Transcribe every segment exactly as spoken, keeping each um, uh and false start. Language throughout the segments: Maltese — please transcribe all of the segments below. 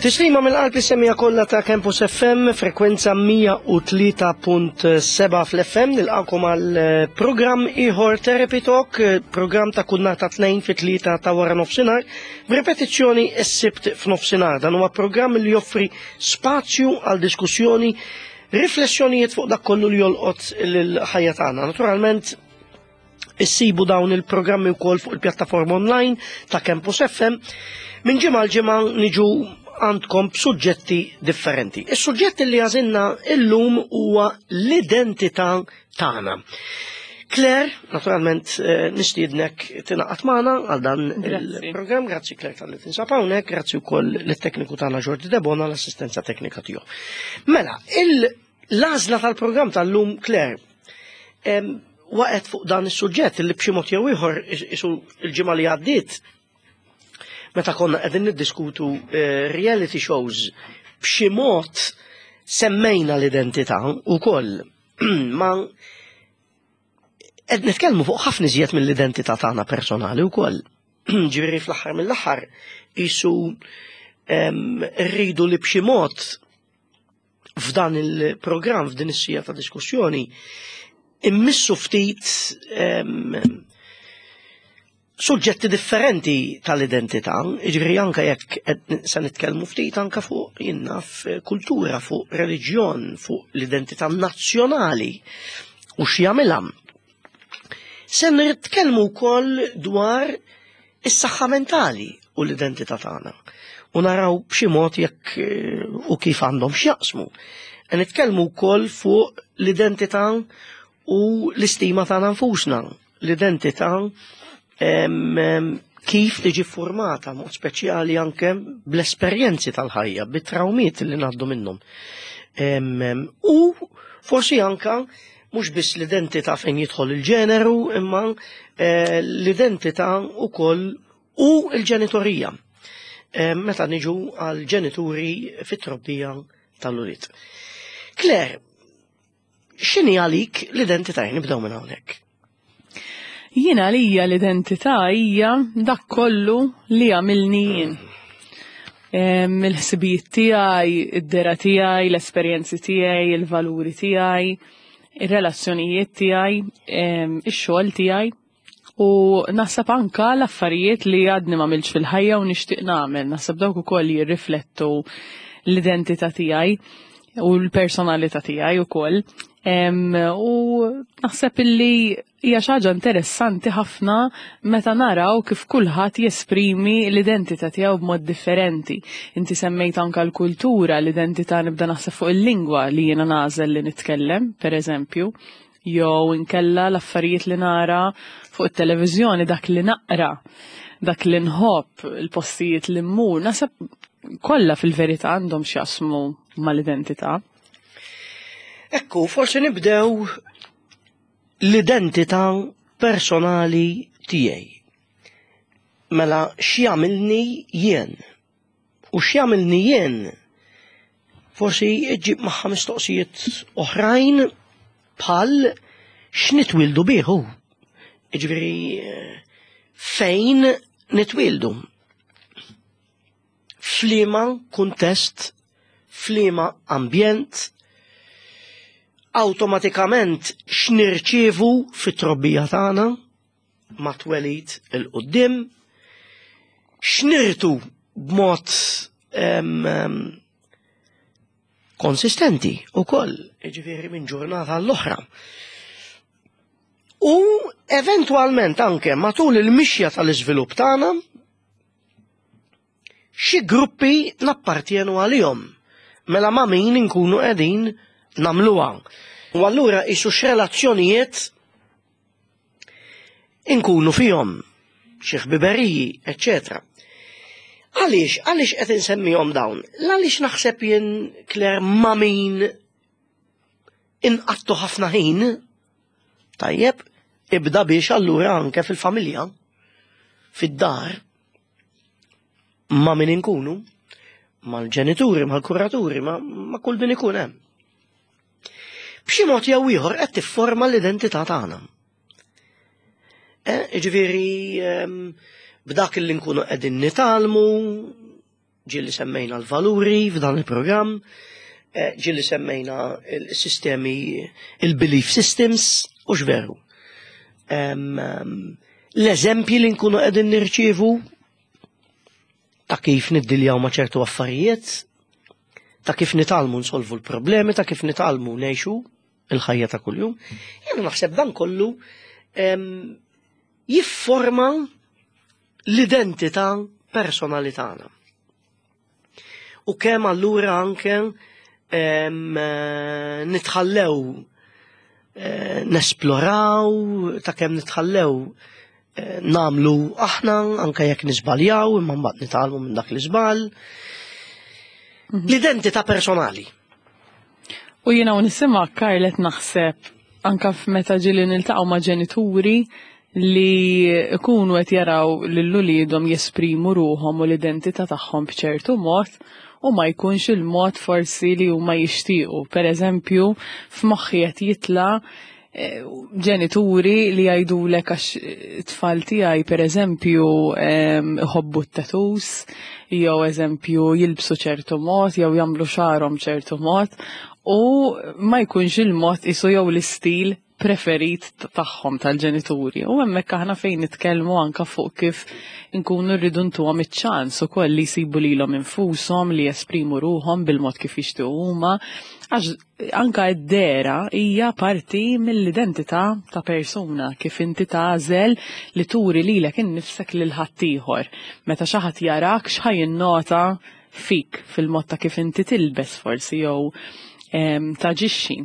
Tislima mill-qalb is-semmiegħa kollha ta' Campus F M, frekwenza mija u tlieta punt sebgħa fl-F M, nilqakom għal eh, programm ieħor Therapy Talk, eh, programm ta' kull nhar ta' Tnejn fi tlieta ta' wara nofsinhar, b'repetizzjoni s-Sibt f'nofsinhar. Dan huwa programm li joffri spazju għal diskussjoni, riflessjonijiet fuq dak kollu li jolqot l-ħajja tagħna. Naturalment, issibu dawn il-programmi wkoll fuq il-pjattaforma online ta' Campus F M. Minn ġimgħa l ġimgħa niġu għandkom b'suġġetti differenti. Is-suġġett li għażilna illum huwa l-identità tagħna. Claire, naturalment eh, nistiednek tingħaqad magħna għal dan Grazzi. il-programm. Grazzi, Claire, talli tinsab hawnhekk, grazzi wkoll lit-tekniku tagħna Jordi Debona l-assistenza teknika tiegħu. Mela, l-għażla tal-programm tal-lum, Claire, em, waqgħet fuq dan is-suġġett li b'xi mod jew ieħor isu il-ġimgħa li għaddiet meta konna qegħdin niddiskutu eh, reality shows, b'xi mod semmejna l-identità wkoll, ma qed nitkellmu fuq ħafna iżjed mill-identità tagħna personali wkoll. Ġifieri fl-aħħar mill-aħħar isu em, rridu li b'xi mod f'dan il-programm, f'din is-siegħa ta' diskussjoni, immissu ftit em, suġġetti differenti tal-identità, ġifieri anka jekk qed se nitkellmu ftit anka fuq, jien naf, kultura, fuq reliġjon, fuq l-identità nazzjonali u x'jagħmilha. Se nitkellmu wkoll dwar is-saħħa mentali u l-identità tagħna. U naraw b'xi mod jekk eh, u kif għandhom x'jaqsmu. Nitkellmu wkoll fuq l-identità u l-istima tagħna nfusna, l-identità em, em, kif tiġi formata, mod speċjali anke bl-esperjenzi tal-ħajja, bit-trawmiet li ngħaddu minnhom. Em, em, U forsi anka mhux biss l-identità fejn jidħol il-ġeneru, imma eh, l-identità ukoll u l-ġenitorija. Eh, Meta niġu għal ġenituri fit-trobbija tal-ulied. Claire, x'inhi għalik l-identità? Nibdew minn hawnhekk. Jiena lija l-identità hija dak kollu li għamilni jien. Em, Il-ħsibijiet tiegħi, id-dehra tiegħi, l-esperjenzi tiegħi, il-valuri tiegħi, ir-relazzjonijiet tiegħi, em, ix-xogħol tiegħi. U naħseb anka l-affarijiet li għadni m'għamiltx fil-ħajja u nixtieq nagħmel, naħseb dawk ukoll jirriflettu l-identità tiegħi u l-personalità tiegħi ukoll. Em, U naħseb illi hija xi ħaġa interessanti ħafna meta naraw kif kulħadd jesprimi l-identità tiegħu b'mod differenti. Inti semmejt anka l-kultura, l-identità, nibda naħseb fuq il-lingwa li jiena nagħżel li nitkellem, per eżempju, jew inkella l-affarijiet li nara fuq it-televiżjoni, dak li naqra, dak li nħobb, il-postijiet li mmur, naħseb kollha fil-verità għandhom x'jaqsmu mal-identità. Ekku, forsi nibdew l-identità personali tiegħi. Mela x'jagħmilni jien? U x'jagħmilni jien? Forsi iġib magħha mistoqsijiet oħrajn bħal x'nitwildu bih. Jiġifieri eh, fejn nitwildu? F'liema kuntest, f'liema ambjent, awtomatikament x'nirċievu fit-trobbija tagħna mat-twelid 'il quddiem, x'nirtu b'mod em, em, konsistenti ukoll, jiġifieri minn ġurnata l-oħra. U eventwalment anke matul il-mixja tal-iżvilupp tagħna xi gruppi nappartjenu għalihom. Mela ma' min inkunu qegħdin nagħmluha. U allura isu x'relazzjonijiet inkunu fihom, xi ħbiberiji, eċċetera. Għaliex, għaliex qed insemmihom dawn? Għaliex naħseb jien, Claire, ma' min inqattu ħafna ħin, tajjeb, ibda biex allura anke fil-familja, fid-dar, ma' min inkunu, mal-ġenituri, mal-kuraturi, ma, ma' kull min ikun hemm. B'xi mod jew ieħor qed tifforma l-identità tagħna. Eh, ġifieri em, b'dak li nkunu qegħdin nitgħallmu, Ġieli semmejna l-valuri f'dan il-programm, eh, ġieli semmejna il-sistemi, il-belief systems, u x'veru. L-eżempji li nkunu qegħdin nirċievu ta' kif niddiljaw ma' ċertu affarijiet, ta' kif nitgħallmu nsolvu l-problemi, ta' kif nitgħallmu ngħixu il-ħajja ta' kuljum. Jiena naħseb dan kollu jifforma l-identità personali tagħna. U kemm allura anke nitħallew eh, nesploraw, ta' kemm nitħallew eh, nagħmlu aħna anke jekk niżbaljaw, imma mbagħad nitgħallmu minn dak l-iżball. Mhm. L-identità personali. U jiena u nisimgħek, Karlet, naħseb anka f'meta ġieli niltaqgħu ma' ġenituri li ikunu qed jaraw lil uliedhom jesprimu ruħhom u l-identità tagħhom b'ċertu mod u ma jkunx il-mod forsi li huma jixtiequ. Per eżempju, f'moħħi qed jitla eh, ġenituri li jgħidulek għax tfal tiegħi, per eżempju, iħobbu t-tattoos, jew eżempju jilbsu ċertu mod, jew jagħmlu xagħarhom ċertu mod, u ma jkunx il-mod isu jew l-istil preferit tagħhom tal-ġenituri. U hemmhekk aħna fejn nitkellmu anka fuq kif nkunu rridu ntuhom iċ-ċans ukoll li jsibu lilhom infushom, li jesprimu ruħhom bil-mod kif jixtiequ huma, għax anka d-dehra hija parti mill-identità ta' persuna, kif inti tagħżel li turi lilek innifsek lil ħaddieħor. Meta xi ħadd jarak, x'ħa jinnota fik fil-mod ta' kif inti tilbes forsi jew taġixxi.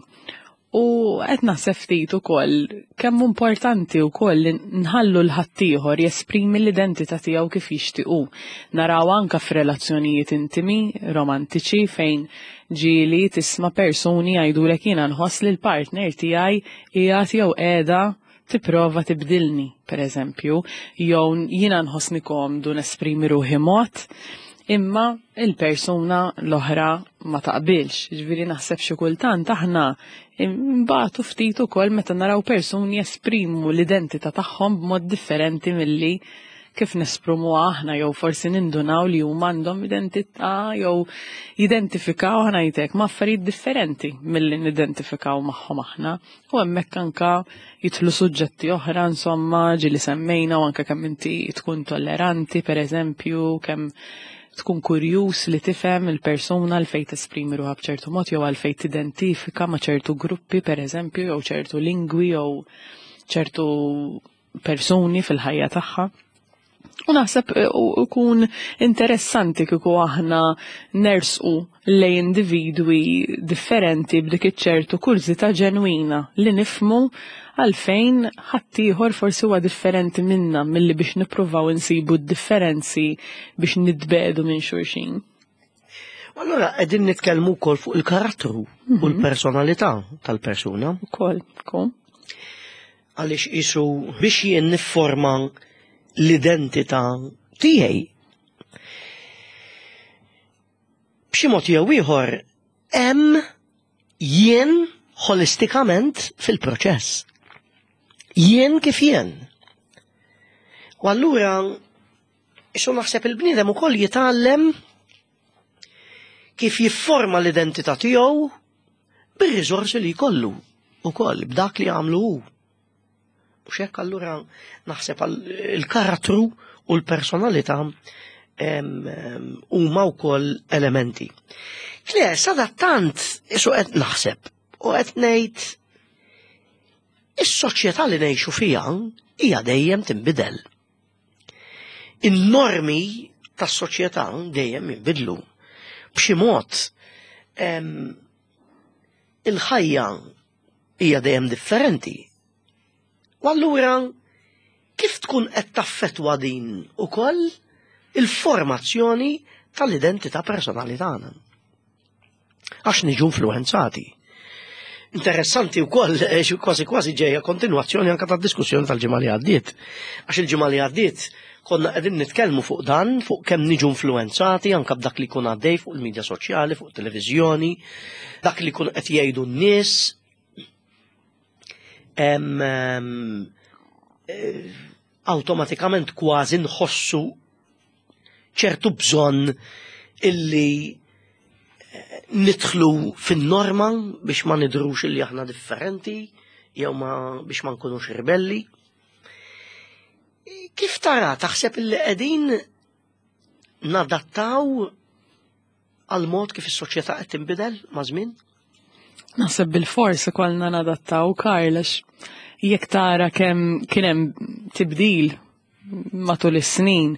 U qed naħseb ftit ukoll kemm importanti wkoll li nħallu 'l ħaddieħor jesprimi l-identità tiegħu kif jixtiequ. Naraw anka f'relazzjonijiet intimi, romantiċi, fejn ġieli tisma' persuni jgħidulek: "Jiena nħoss li l-partner tiegħi qiegħed jew qiegħda tipprova tibdilni", per eżempju, jew "Jiena nħossni komdu nesprimi ruħi mod, imma il-persuna l-oħra ma taqbilx." Ġifieri naħseb xi kultant aħna mbagħad ftit ukoll meta naraw persuni jesprimu l-identità tagħhom b'mod differenti milli kif nesprimu aħna, jew forsi nindunaw li huma għandhom identità jew jidentifikaw, ħa ngħidlek, ma' affarijiet differenti milli nidentifikaw magħhom aħna. U hemmhekk anka jidħlu suġġetti oħra, insomma, ġieli semmejna, u anke kemm inti tkun tolleranti, per eżempju, kemm tkun kurjus li tifhem il-persuna għal fejn tesprimi ruħha b'ċertu mod jew għal fejn tidentifika ma' ċertu gruppi, per eżempju, jew ċertu lingwi jew ċertu persuni fil-ħajja tagħha. U naħseb eh, ikun interessanti kieku aħna nersqu lej individwi differenti b'dik iċ-ċertu kurżità ġenwina li nifhmu għalfejn ħaddieħor forsi huwa differenti minna, milli biex nippruvaw insibu d-differenzi biex nitbedu minn xulxin. Allora qegħdin nitkellmu wkoll fuq il-karattru u l-personalità tal-persuna. Ukoll, kom. Għaliex isu biex jien nifforma l-identità tiegħi, b'xi mod jew ieħor hemm jien holistikament fil-proċess. Jien kif jien. U allura isu naħseb il-bniedem ukoll jitgħallem kif jifforma l-identità tiegħu bir-riżorsi li jkollu ukoll, b'dak li għamlu hu. U xek allura naħseb il-karattru u l-personalità huma wkoll elementi. Claire, sadattant isu qed naħseb u qed ngħid is-soċjetà li ngħixu fiha hija dejjem tinbidel. In-normi tas-soċjetà dejjem jinbidlu. B'xi mod il-ħajja hija dejjem differenti. U allura kif tkun qed taffettwa din ukoll il-formazzjoni tal-identità personali tagħna? Għax niġu influenzati. Interessanti wkoll, eh, kważi kważi ġejja kontinwazzjoni anke tad-diskussjoni tal-ġimgħa li għaddiet. Għax il-ġimgħa li għaddiet konna qegħdin nitkellmu fuq dan, fuq kemm niġu influenzati anke b'dak li jkun għaddej fuq il-medja soċjali, fuq televiżjoni, dak li jkun qed jgħidu n-nies. Em, em, eh, Awtomatikament kważi nħossu ċertu bżonn Illi eh, nidħlu fin-norma biex ma nidhrux illi aħna differenti, jew ma biex ma nkunux ribelli. Kif tara, taħseb illi qegħdin nadattaw għal mod kif is-soċjetà qed tinbidel ma' żmien? Naħseb bil-fors ikollna nadattaw, Karl, għax jekk tara kemm kien hemm tibdil matul is-snin,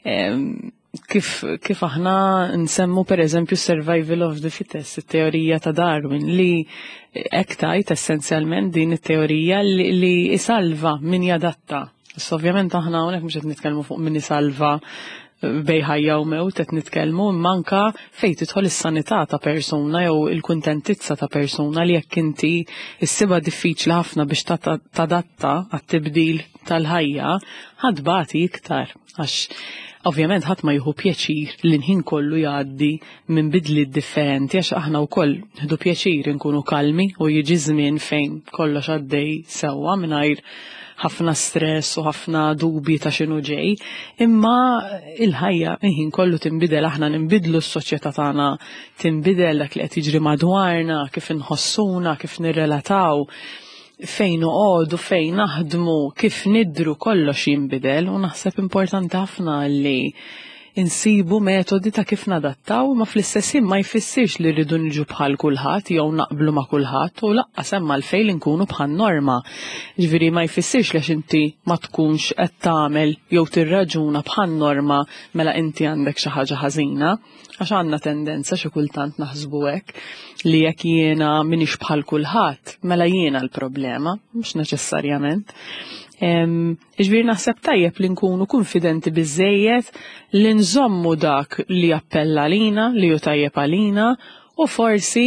em, kif, kif aħna nsemmu, per eżempju, survival of the fittest, it-teorija ta' Darwin, li hekk tgħid essenzjalment din it-teorija li, li isalva min jadatta. Issa ovvjament aħna hawnhekk mhux qed nitkellmu fuq min isalva bejn ħajja u mewt qed nitkellmu, imma anka fejn tidħol is-sanità ta' persuna jew il-kuntentizza ta' persuna, li jekk inti issibha diffiċli ħafna biex ta- tadatta għat-tibdil tal-ħajja, ħa tbati iktar, għax ovvjament ħadd ma jieħu pjaċir li l-ħin kollu jgħaddi minn bidliet differenti, għax aħna wkoll nieħdu pjaċir nkunu kalmi u jiġi żmien fejn kollox għaddej sewwa mingħajr ħafna stress u ħafna dubji ta' x'inhu ġej, imma il-ħajja ħin kollu tinbidel, aħna ninbidlu, s-soċjetà tagħna tinbidel, dak li qed jiġri madwarna, kif inħossuna, kif nirrelataw, fejn noqogħdu, fejn naħdmu, kif nidru, kollox jinbidel u naħseb importanti ħafna li insibu metodi ta' kif nadattaw, ma fl-istess ħin ma jfissirx li rridu niġu bħal kulħadd jew naqblu ma' kulħadd u lanqas hemm għalfejn li nkunu bħal norma. Ġifieri ma jfissirx li għax inti ma tkunx qed tagħmel jew tirraġuna bħal norma mela inti għandek xi ħaġa ħażina, għax għandna tendenza xi kultant naħsbu hekk, li jekk jiena m'iniex bħal kulħadd mela jiena l-problema, mhux neċessarjament. Ġifieri naħseb tajjeb li nkunu konfidenti biżejjed li nżommu dak li appella lina, li hu tajjeb għalina, u forsi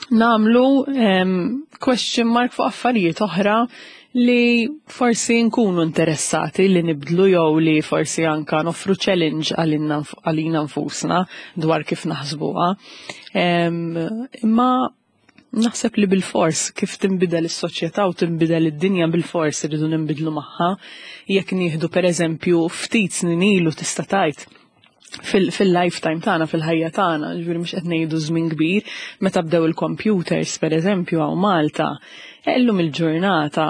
nagħmlu em, question mark fuq affarijiet oħra li forsi nkunu interessati li nibdlu jew li forsi anka noffru challenge għalina għalina nfusna dwar kif naħsbuha. Em, Imma naħseb li bil-fors kif tinbidel is-soċjetà u tinbidel id-dinja, bil-fors irridu ninbidlu magħha. Jekk nieħdu per eżempju ftit snin ilu, tista' tgħid fil-lifetime tagħna, fil-ħajja tagħna, ġifieri mhux qed ngħidu żmien kbir, meta bdew il-computers pereżempju hawn Malta, illum il-ġurnata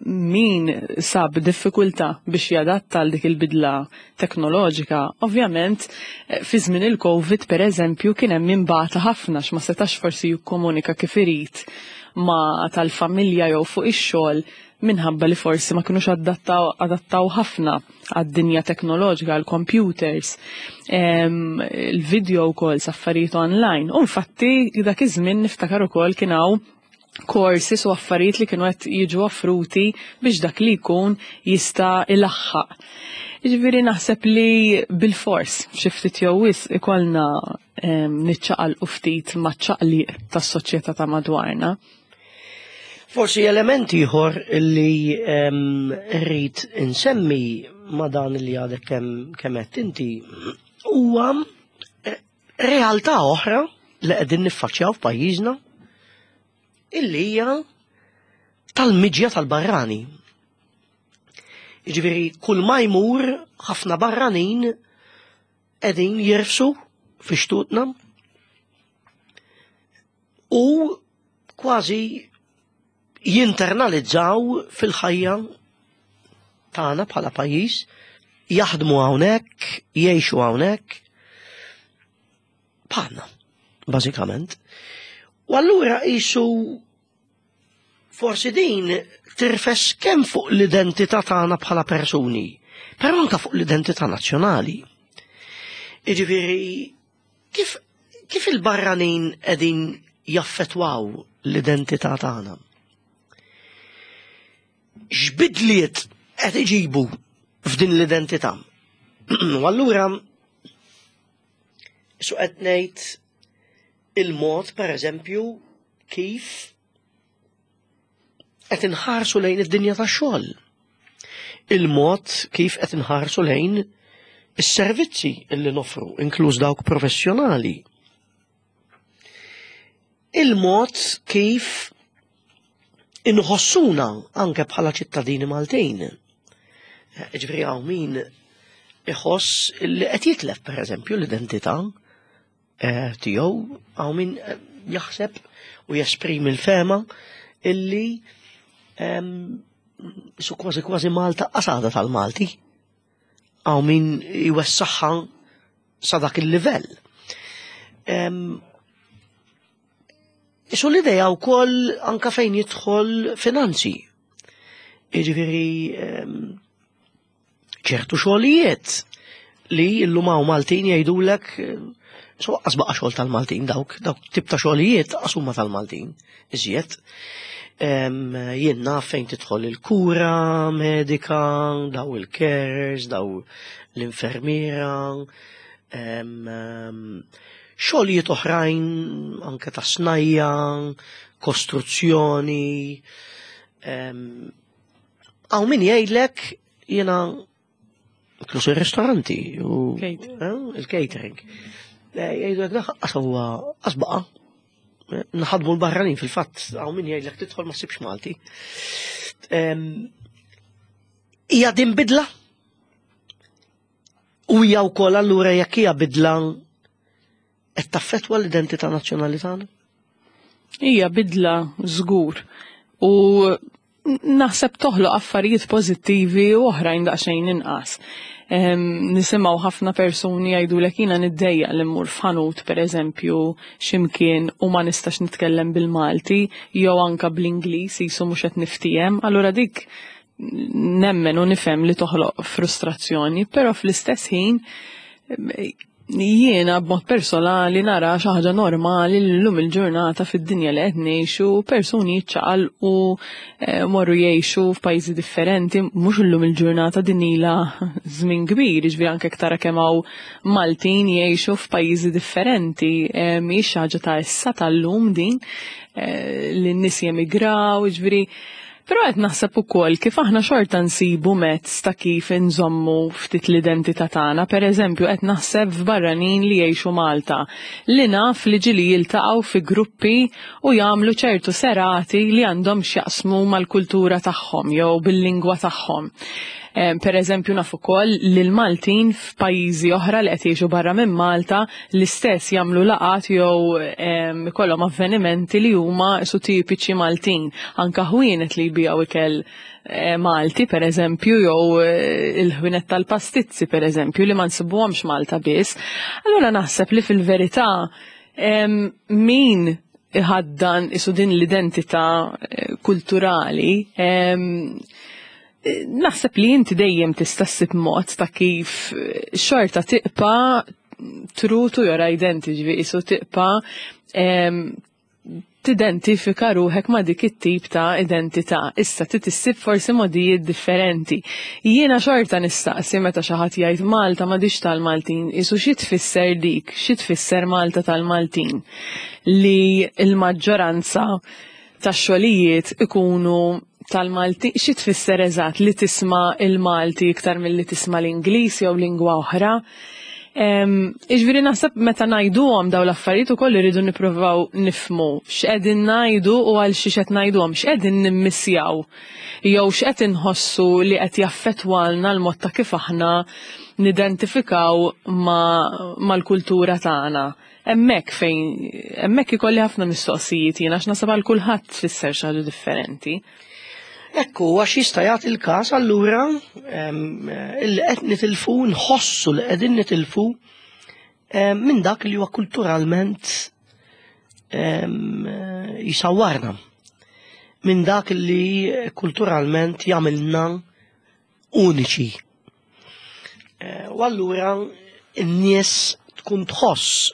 min sab diffikultà biex jadatta għal dik il-bidla teknoloġika, ovvjament eh, fi żmien il-Covid pereżempju kien hemm min bata ħafna x'ma setax forsi jikkomunika kif irid ma tal-familja jew fuq ix-xogħol minħabba li forsi ma kinux adattaw, adattaw ħafna għad-dinja teknoloġika, għal-computers, il-video calls, affarijiet online. U infatti dak iż-żmien niftakar ukoll kien hawn courses u affarijiet li kienu qed jiġu offruti biex dak li jkun jista' ilaħħaq. Ġifieri naħseb li bil-fors xi ftit jew wisq ikollna niċċaqalqu ftit maċ-ċaqliq tas-soċjetà ta' madwarna. Forsi element ieħor li rrid insemmi ma' dan li għadek kemm kemm qed inti huwa eh, realtà oħra li qegħdin niffaċċjaw f'pajjiżna, illi hija tal-miġja tal-barrani. Jiġifieri kull ma jmur ħafna barranin qegħdin jirfsu fi xtutna u kważi jinternalizzaw fil-ħajja tagħna bħala pajjiż, jaħdmu hawnhekk, jgħixu hawnhekk bħalna, bażikament. U allura qisu forsi din tirfes kemm fuq l-identità tagħna bħala persuni, però anke fuq l-identità nazzjonali. Jiġifieri kif kif il-barranin qegħdin jaffetwaw l-identità tagħna? X'bidliet qed iġibu f'din l-identità? U allura su qed ngħid il-mod, pereżempju, kif qed inħarsu lejn id-dinja tax-xogħol. Il-mod kif qed inħarsu lejn is-servizzi illi nofru, inkluż dawk professjonali. Il-mod kif inħossuna anke bħala ċittadini Maltin. Ġifieri hawn min iħoss li qed jitlef pereżempju l-identità eh, tiegħu, hawn min eh, jaħseb u jesprimi l-fehma illi em, su kważi kważi Malta qasada tal-Malti. Hawn min jwessaħħa sa dak il-livell. Em, Isu l-ideja wkoll anka fejn jidħol finanzi. Jiġifieri em, ċertu xogħlijiet li llum hawn Maltin jgħidulek eh, so qas baqa' xogħol tal-Maltin dawk, dawk tip ta' xogħlijiet qas huma tal-Maltin iżjed. Em, Jien naf fejn tidħol il-kura medika, daw il-carers, daw l-infermiera, em, em, xogħlijiet oħrajn anke ta' snajja, kostruzzjoni. em, Hawn min jgħidlek jiena inkluż ir-ristoranti u Catering. eh, il-catering. Eh, Jgħidulek dak qas huwa qas baqa'. Eh, Naħadmu l-barranin fil-fatt, hawn min jgħidlek tidħol ma ssibx Malti. Em, Hija din bidla? U hija wkoll allura jekk hija bidla qed taffettwa l-identità nazzjonali tagħna? Hija bidla żgur. U naħseb toħloq affarijiet pożittivi u oħrajn daqsxejn inqas. Em, Nisimgħu ħafna persuni jgħidulek jiena niddejjaq li mmur f'ħanut pereżempju x'imkien u ma nistax nitkellem bil-Malti jew anka bl-Ingliż jisu mhux qed niftiehem, allura dik nemmen u nifhem li toħloq frustrazzjoni, però fl-istess ħin jiena b'mod personali nara xi ħaġa normali li llum il-ġurnata fid-dinja li qed ngħixu persuni jiċċaqalqu eh, morru jgħixu f'pajjiżi differenti, mhux illum il-ġurnata din ilha żmien kbir, jiġifieri anke tara kemm hawn Maltin jgħixu f'pajjiżi differenti, eh, mhijiex xi ħaġa ta' issa tal-lum din eh, li n-nies jemigraw, jiġifieri Però qed naħseb ukoll kif aħna xorta nsibu mezz ta' kif inżommu ftit l-identità tagħna. Pereżempju qed naħseb f'barranin li jgħixu Malta li naf li ġieli jiltaqgħu fi gruppi u jagħmlu ċertu serati li għandhom x'jaqsmu mal-kultura tagħhom jew bil-lingwa tagħhom. Eh, Per eżempju naf ukoll li l-Maltin f'pajjiżi oħra li qed jgħixu barra minn Malta l-istess jagħmlu laqat jew em, ikollhom avvenimenti li huma su tipiċi Maltin. Anka ħwienet li jbigħu ikel eh, Malti per eżempju jew eh, il-ħwienet tal-pastizzi per eżempju li ma nsibuhomx Malta biss. Allura naħseb li fil-verità em, min iħaddan isu din l-identità eh, kulturali em, naħseb li inti dejjem tista' ssib mod ta' kif xorta tibqa' true to your identity, ġifieri isu tibqa' em, tidentifika ruħek ma' dik it-tip ta' identità. Issa trid issib forsi modijiet differenti. Jiena xorta nistaqsi meta xi ħadd jgħid Malta m'għadix tal-Maltin, isu xi tfisser dik, xi tfisser Malta tal-Maltin li l-maġġoranza tax-xogħlijiet ikunu tal-Malti, xi tfisser eżatt li tisma' il-Malti iktar milli tisma' l-Ingliż jew lingwa oħra. Iġviri naħseb meta ngħiduhom daw l-affarijiet ukoll irridu nippruvaw nifhmu x'qegħdin ngħidu u għal xiex qed ngħiduhom, x'qegħdin nimmissjaw jew x'qed inħossu li qed jaffettwalna l-mod ta' kif aħna nidentifikaw mal-kultura tagħna. Hemmhekk fejn hemmhekk ikolli ħafna mistoqsijiet jien għax naħseb għal kulħadd tfisser xi ħaġa differenti. Ekku, għax jista' jagħti il-każ allura illi qed nitilfu nħossu li qegħdin nitilfu minn dak li huwa kulturalment jisawwarna. Minn dak li kulturalment jagħmilna uniċi. U allura n-nies tkun tħoss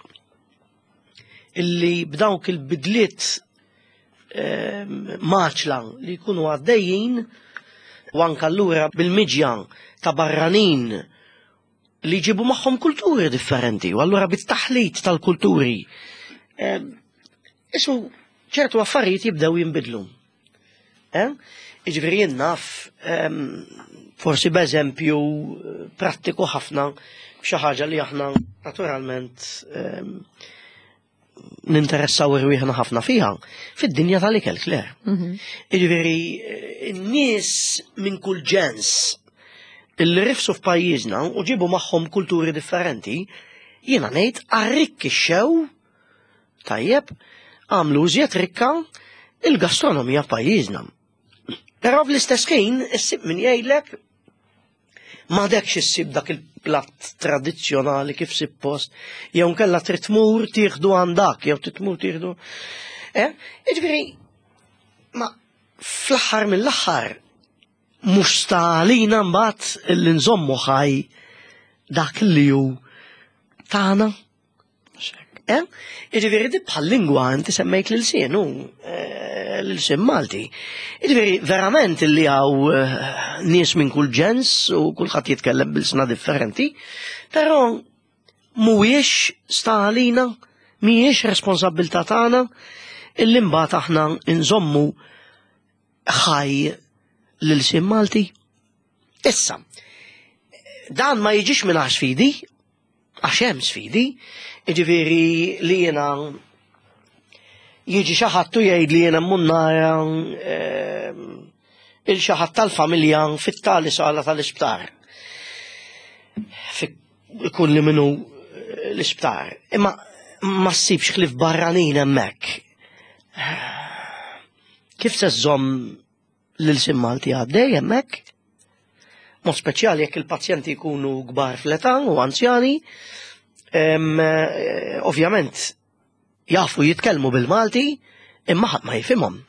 illi b'dawk il-bidliet maċla li jkunu għaddejjin u anka allura bil-miġja ta' barranin li jġibu magħhom kulturi differenti u allura bit-taħlit tal-kulturi. Isu ċertu affarijiet jibdew jinbidlu. Jiġifieri jien naf forsi b'eżempju prattiku ħafna xi ħaġa li aħna naturalment ninteressaw irwieħna ħafna fiha, fid-dinja tal-ikel, Claire. Jiġifieri, n-nies minn kull ġens Illi rifsu f'pajjiżna u ġibu magħhom kulturi differenti, jiena ngħid arrikkixxew, tajjeb, għamlu iżjed rikka il-gastronomija f'pajjiżna. Però fl-istess ħin issib min jgħidlek m'għadekx issib dak il-platt tradizzjonali kif suppost, jew nkella trid tmur tieħdu għandak, jew trid tmur tieħdu. Eh? Jiġifieri, ma fl-aħħar mill-aħħar mhux stalina mbagħad li nżommu ħaj dak li hu tagħna. Eh? Jiġifieri di bħal lingwa, inti semmejt l-ilsien, u eh, l-ilsien Malti. Jiġifieri verament li hawn eh, nies minn kull ġens u kulħadd jitkellem b'ilsna differenti, però mhuwiex stalina, mhijiex responsabbiltà tagħna illi mbagħad aħna nżommu ħaj l-ilsien Malti. Issa, dan ma jiġix minn sfidi, għax hemm sfidi, jiġifieri li jiena jiġi xi ħadd u jgħid li jiena mmur nara lil xi ħadd tal-familja fit-tali sala tal-isptar. Ikun li minnu l-isptar. Imma ma ssibx ħlief barranin hemmhekk. Kif se żżomm l-ilsien Malti għaddej hemmhekk? Mod speċjali jekk il-pazjenti jkunu kbar fl-età u anzjani, eh, ovvjament jafu jitkellmu bil-Malti, imma ħadd ma jifhimhom.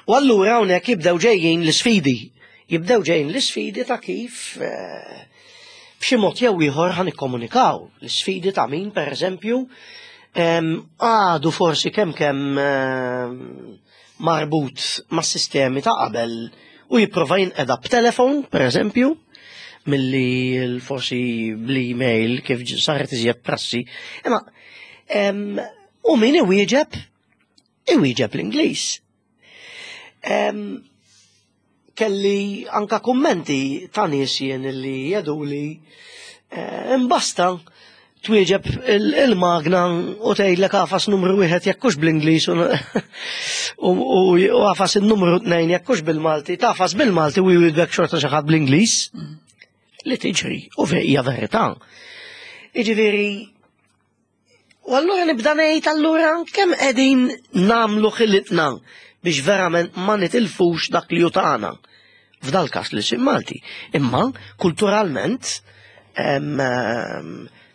U allura hawnhekk jibdew ġejjin l-isfidi. Jibdew ġejjin l-isfidi ta' kif eh, b'xi mod jew ieħor ħa nikkomunikaw. L-isfidi ta' min, pereżempju, għadu forsi kemm kemm marbut ma' sistemi ta' qabel u jipprova jinqeda b'telefon, pereżempju, milli forsi bl-email kif saret iżjed prassi. Imma u min iwieġeb, iwieġeb l-Ingliż. Kelli anka kummenti ta' nies jien li jgħiduli eh, imbasta twieġeb il-magna u tgħidlek agħfas numru wieħed jekk hux bl-Ingliż u agħfas il-numru tnejn jekk hux bil-Malti, tagħfas bil-Malti u jwieġbek xorta xi ħadd bl-Ingliż. Li tiġri u hija verità. Jiġifieri, u allura nibda ngħid, allura kemm qegħdin nagħmlu ħilitna biex verament ma nitilfux dak li hu tagħna. F'dal każ l-ilsien Malti. Imma kulturalment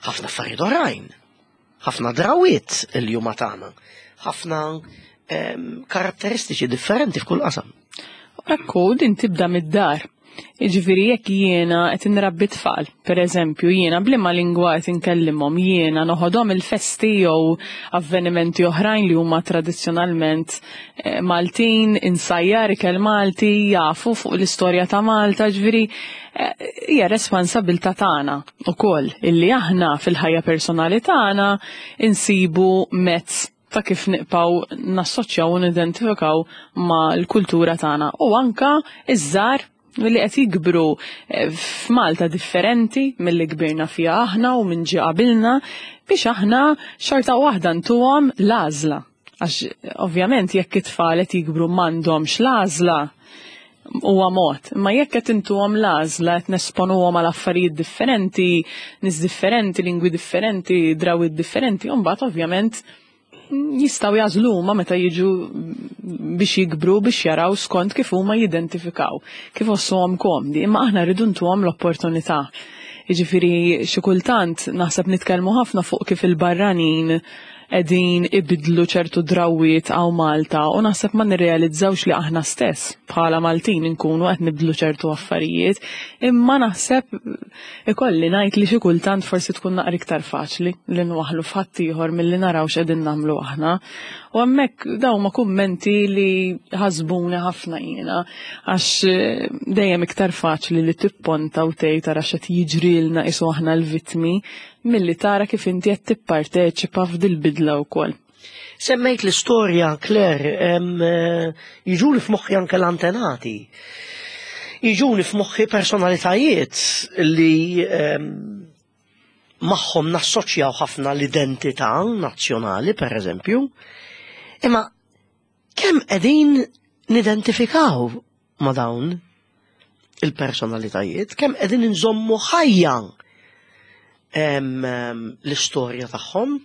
ħafna affarijiet oħrajn, ħafna drawiet il huma tagħna, ħafna karatteristiċi differenti f'kull qasam. Ekku, din tibda mid-dar. Jiġifieri jekk jiena qed inrabbi tfal, per eżempju, jiena b'liema lingwa qed inkellimhom, jiena noħodhom il-festi jew avvenimenti oħrajn li huma tradizzjonalment eh, Maltin, insajjar ikel Malti, jafu fuq l-istorja ta' Malta, ġifieri eh, hija responsabilità tagħna ukoll illi aħna fil-ħajja personali tagħna insibu mezz ta' kif nibqgħu nassoċjaw u nidentifikaw ma' l-kultura tagħna u anka iż-żgħar li qed jikbru eh, f'Malta differenti milli kbirna fiha aħna u minn ġie qabilna, biex aħna xorta waħda ntuhom l-għażla. Għax ovvjament jekk it-tfal qed jikbru m'għandhomx l-għażla huwa mod, imma jekk qed intuhom l-għażla, qed nesponuhom għal affarijiet differenti, nies differenti, lingwi differenti, drawwiet differenti, u mbagħad ovvjament jistgħu jagħżlu huma meta jiġu biex jikbru biex jaraw skont kif huma jidentifikaw, kif iħossuhom komdi, imma aħna rridu ntuhom l-opportunità. Jiġifieri xi kultant naħseb nitkellmu ħafna fuq kif il-barranin qegħdin ibidlu ċertu drawiet hawn Malta u naħseb ma nirrealizzawx li aħna stess bħala Maltin inkunu qed nibdlu ċertu affarijiet, imma naħseb ikolli ngħid li xi kultant forsi tkun naqra iktar faċli li nwaħħlu f'ħaddieħor milli naraw x'qegħdin nagħmlu aħna. U hemmhekk dawn ma kummenti li ħasbuni ħafna jiena, għax eh, dejjem iktar faċli li tipponta u tgħid tara x'qed jiġrilna, qisu aħna l-vittmi, milli tara kif inti qed tipparteċipa f'dil-bidla wkoll. Semmejt l-istorja, Claire, em, eh, jiġuli f'moħħi anke l-antenati. Jiġuli f'moħħi personalitajiet li em, magħhom nassoċjaw ħafna l-identità nazzjonali, per eżempju. Imma kemm qegħdin nidentifikaw ma' dawn? il-personalitajiet, kemm qegħdin inżommu ħajja l-istorja tagħhom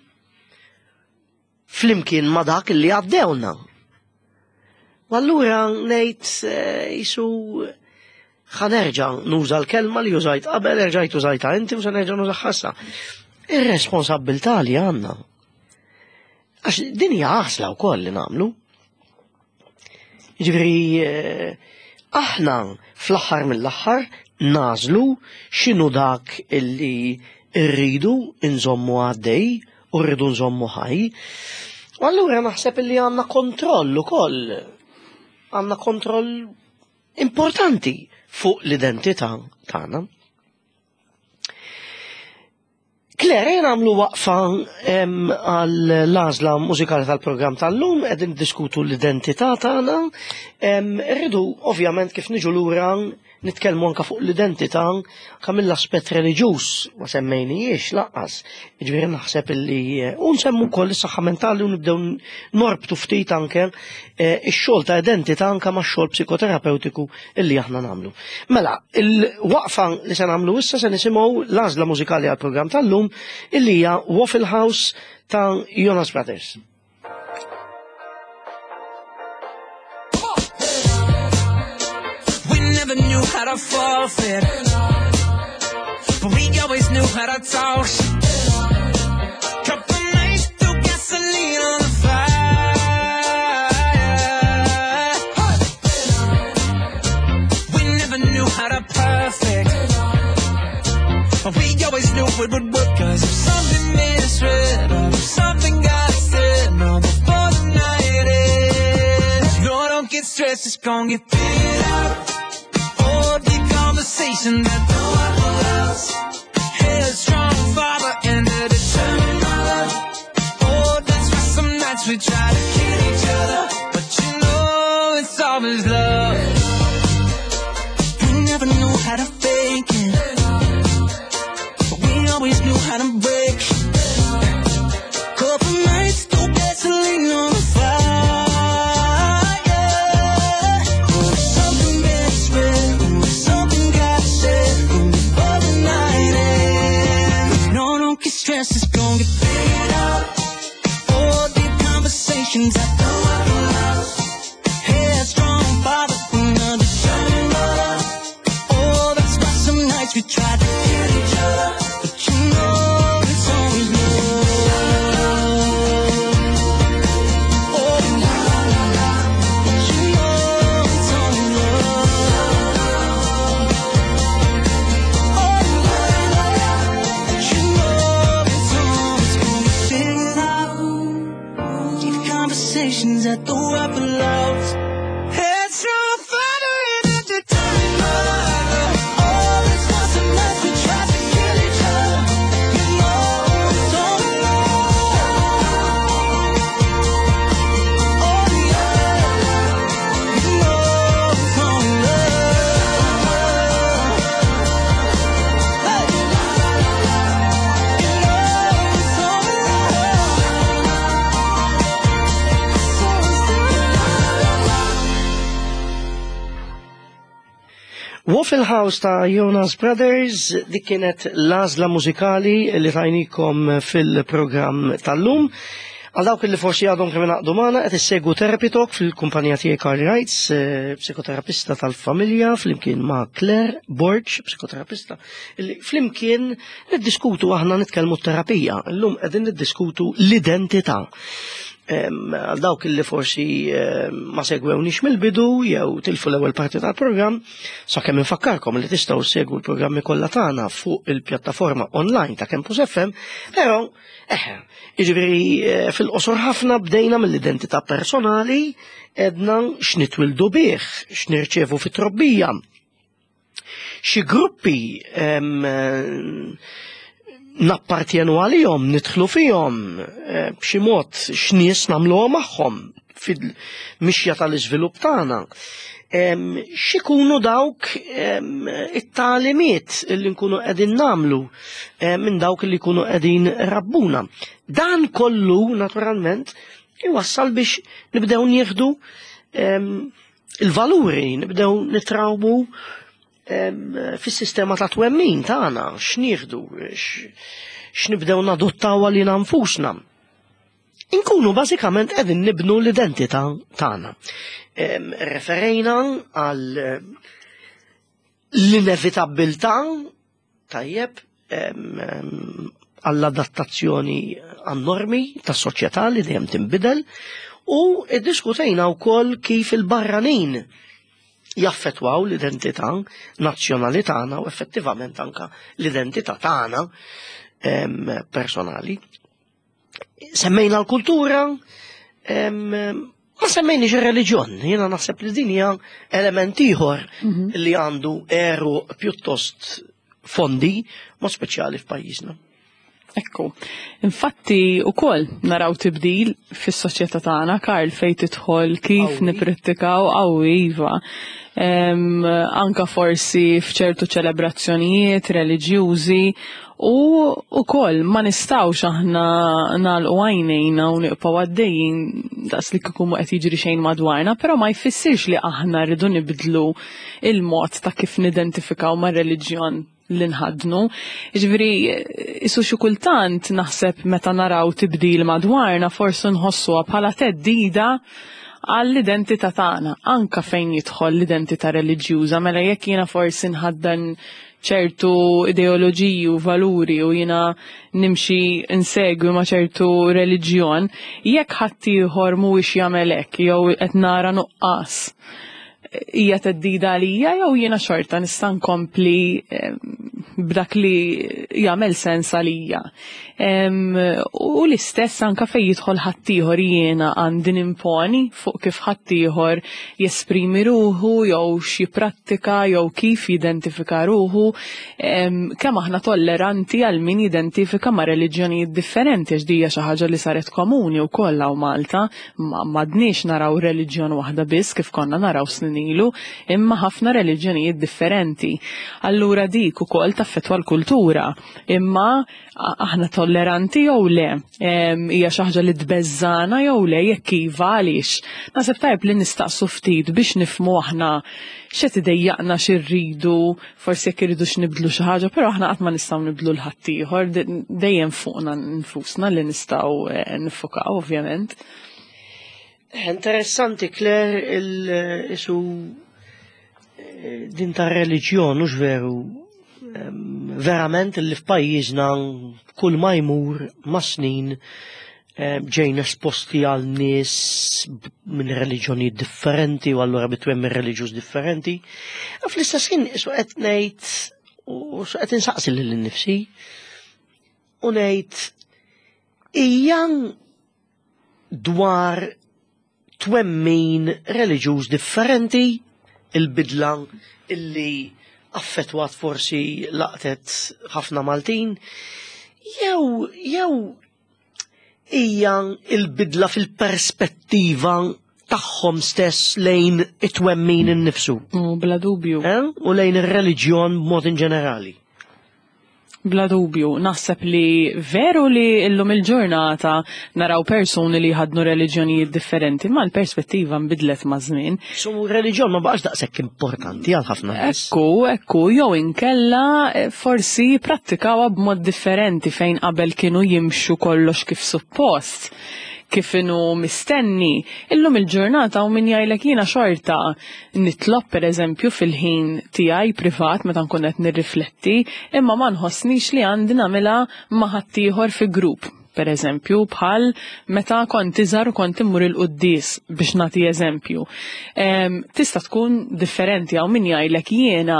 flimkien ma dak li għaddewna. U allura ngħid jisu ħa nerġa' nuża l-kelma li użajt qabel, erġajt użajta inti u se nerġa' nuża ħassa. Ir-responsabbiltà li għandna. Għax din hija għażla wkoll li nagħmlu. Jiġifieri aħna fl-aħħar mill-aħħar nażlu x'inhu dak illi rridu nżommu għaddej u rridu nżommu ħaj. U allura naħseb illi għandna kontroll ukoll. Għandna kontroll importanti fuq l-identità tagħna. Claire, jena għamlu waqfa għall-għażla mużikali tal-programm tal-lum, qegħdin diskutu l-identità tagħna. Rridu ovvjament kif niġu lura nitkellmu anka fuq l-identità anka mill-aspett reliġjuż, ma semmejnijiex lanqas. Jiġifieri naħseb illi u nsemmu wkoll is-saħħa mentali u nibdew norbtu ftit anke ix-xogħol ta' identità anke max-xogħol psikoterapeutiku illi aħna nagħmlu. Mela, il-waqfa li se nagħmlu issa se nisimgħu l-għażla mużikali għall-programm tal-lum illi hija Waffle House ta' Jonas Brothers. We never knew how to forfeit, but we always knew how to talk. Couple nights through gasoline on the fire. We never knew how to perfect, but we always knew it would work. 'Cause if something misread, or if something got said, no, before the night ends, no, don't get stressed, it's gonna get figured out. Oh, the conversation that the Waffle House. Headstrong father and a determined mother. Oh, that's why some nights we try to kill each other, but you know it's always love. We never knew how to fake it, but we always knew how to break. Couple nights, throw gasoline on the fire. Oh, something misread, oh, something got said, oh, before the night ends. No, don't get stressed, it's gonna get figured out. Oh, deep conversations at the Waffle House. Headstrong father and a determined mother. Oh, that's why some nights we tried to kill each other, but you know it's always love. Oh, la, la, la. But you know it's always love. Oh, la, la, la. But you know it's always gonna get figured out. Deep conversations at the Waffle House. Headstrong father and a determined mother. Oh, that's why some nights we tried to kill each other. You know it's always love. Oh yeah, you know it's always love. Hey, you know it's always love. It's always love. Waffle House ta' Jonas Brothers, dik kienet l-għażla mużikali li tajnikom fil-programm tal-lum. Għal dawk li forsi għadhom kemm ingħaqdu magħna qed issegwu Therapy Talk fil-kumpanija tiegħi Carl Wrights, eh, psikoterapista tal-familja, flimkien ma' Claire Borg, psikoterapista, illi flimkien niddiskutu aħna nitkellmu terapija. Illum qegħdin niddiskutu l-identità. Em, Għal dawk li forsi em, ma segwewnix mill-bidu jew tilfu l-ewwel parti tal-programm, sakemm infakkarkom li tistgħu segwu l-programmi kollha tagħna fuq il-pjattaforma online ta' Campus F M, però eħe, jiġifieri eh, fil-qosor ħafna bdejna mill-identità personali, edna x'nitwildu bih, x'nirċevu fit-trobbija. Xi gruppi em, nappartjenu għalihom, nidħlu fihom, eh, b'xi mod x'nies nagħmluha magħhom fil-mixja tal-iżvilupp tagħna. Em, x'ikunu dawk, em, it-tagħlimiet li nkunu qegħdin nagħmlu, em, minn dawk li jkunu qegħdin rabbuna. Dan kollu naturalment iwassal biex nibdew nieħdu, em, il-valuri, nibdew nitrawmu, fis-sistema ta' twemmin tagħna, x'nieħdu, x'nibdew nadottaw għalina nfusna. Inkunu bażikament qegħdin nibnu l-identità tagħna. Referejna għal l-inevitabilità, tajjeb, għall-adattazzjoni għan-normi tas-soċjetà li dejjem tinbidel, u iddiskutejna wkoll kif il-barranin jaffetwaw l-identità nazzjonali tagħna u effettivament anka l-identità tagħna personali. Semmejna l-kultura, ma semmejniex ir-reliġjon. Jiena naħseb li din hija element ieħor li għandu għeruq pjuttost fondi, mod speċjali f'pajjiżna. Ekku. Infatti ukoll naraw tibdil fis-soċjetà tagħna, Karl, fejn tidħol kif Qawwi. nippratikaw qawwi iva. Em, anka forsi f'ċertu ċelebrazzjonijiet reliġjużi u ukoll ma nistgħux aħna nagħlqu għajnejna u nibqgħu għaddejjin daqs li kieku mhu qed jiġri xejn madwarna, però ma jfissirx li aħna rridu nibdlu il-mod ta' kif nidentifikaw mar-reliġjon li nħaddnu. Ġifieri, isu xi kultant naħseb meta naraw tibdil madwarna forsi nħossuha bħala theddida għall-identità tagħna, anka fejn jidħol l-identità reliġjuża, mela jekk jiena forsi nħaddan ċertu ideoloġiji u valuri u jiena nimxi insegwi ma' ċertu reliġjon, jekk ħaddieħor mhuwiex jagħmel hekk jew qed nara nuqqas, hija theddida għalija jew jiena xorta nista' nkompli em, b'dak li jagħmel sens għalija. Em, U l-istess anka fejn jidħol ħaddieħor, jiena għandi nimponi fuq kif ħaddieħor jesprimi ruħu jew x'jipprattika jew kif jidentifika ruħu, em, kemm aħna tolleranti għal min jidentifika ma' reliġjonijiet differenti, għax dija xi ħaġa li saret komuni wkoll hawn Malta, ma m'għadniex naraw reliġjon waħda biss kif konna naraw snin ilu, imma ħafna reliġjonijiet differenti. Allura dik ukoll taffettwa l-kultura, imma a- aħna tolleranti jew le, Em, hija xi ħaġa li tbeżżana jew le, jekk iva għaliex. Naħseb tajb li nistaqsu ftit biex nifhmu aħna x'qed idejjaqna, x'irridu, forsi jekk irridux nibdlu xi ħaġa, però aħna qatt ma nistgħu nibdlu 'l ħaddieħor, dejjem fuqna nfusna li nistgħu eh, nifukaw ovvjament. Interessanti, Claire, il-isu eh, din ta' reliġjon, mhux veru, em, verament li f'pajjiżna kull ma jmur ma' snin em, ġejna esposti għal nies b- minn reliġjoni differenti u allura bitwemmin reliġjuż differenti. U fl-istess ħin isu qed ngħid u su qed insaqsi lil nifsi u ngħid hija dwar twemmin reliġjuż differenti il-bidla illi affettwat, forsi laqtet ħafna Maltin, jew jew hija il-bidla fil-perspettiva tagħhom stess lejn it-twemmin innifsu U bla dubju. eh? U lejn ir-reliġjon b'mod in ġenerali. Bla dubju, naħseb li veru li illum il-ġurnata naraw persuni li ħadnu reliġjonijiet differenti, ma l-perspettiva nbidlet ma' żmien. So reliġjon ma baqax daqshekk importanti għal ħafna nies. Ekku, ekku, jew inkella eh, forsi prattikawha b'mod differenti, fejn qabel kienu jimxu kollox kif suppost, kif inhu mistenni. Illum il-ġurnata u min jgħidlek jiena xorta nitlob, per eżempju, fil-ħin tiegħi privat meta nkun qed nirrifletti, imma ma nħossnix li għandi nagħmilha ma' ħaddieħor fi grupp. Per eżempju, bħal meta kont iżgħar u kont immur il-quddies, biex nagħti eżempju. Em, tista' tkun differenti, hawn min jgħidlek jiena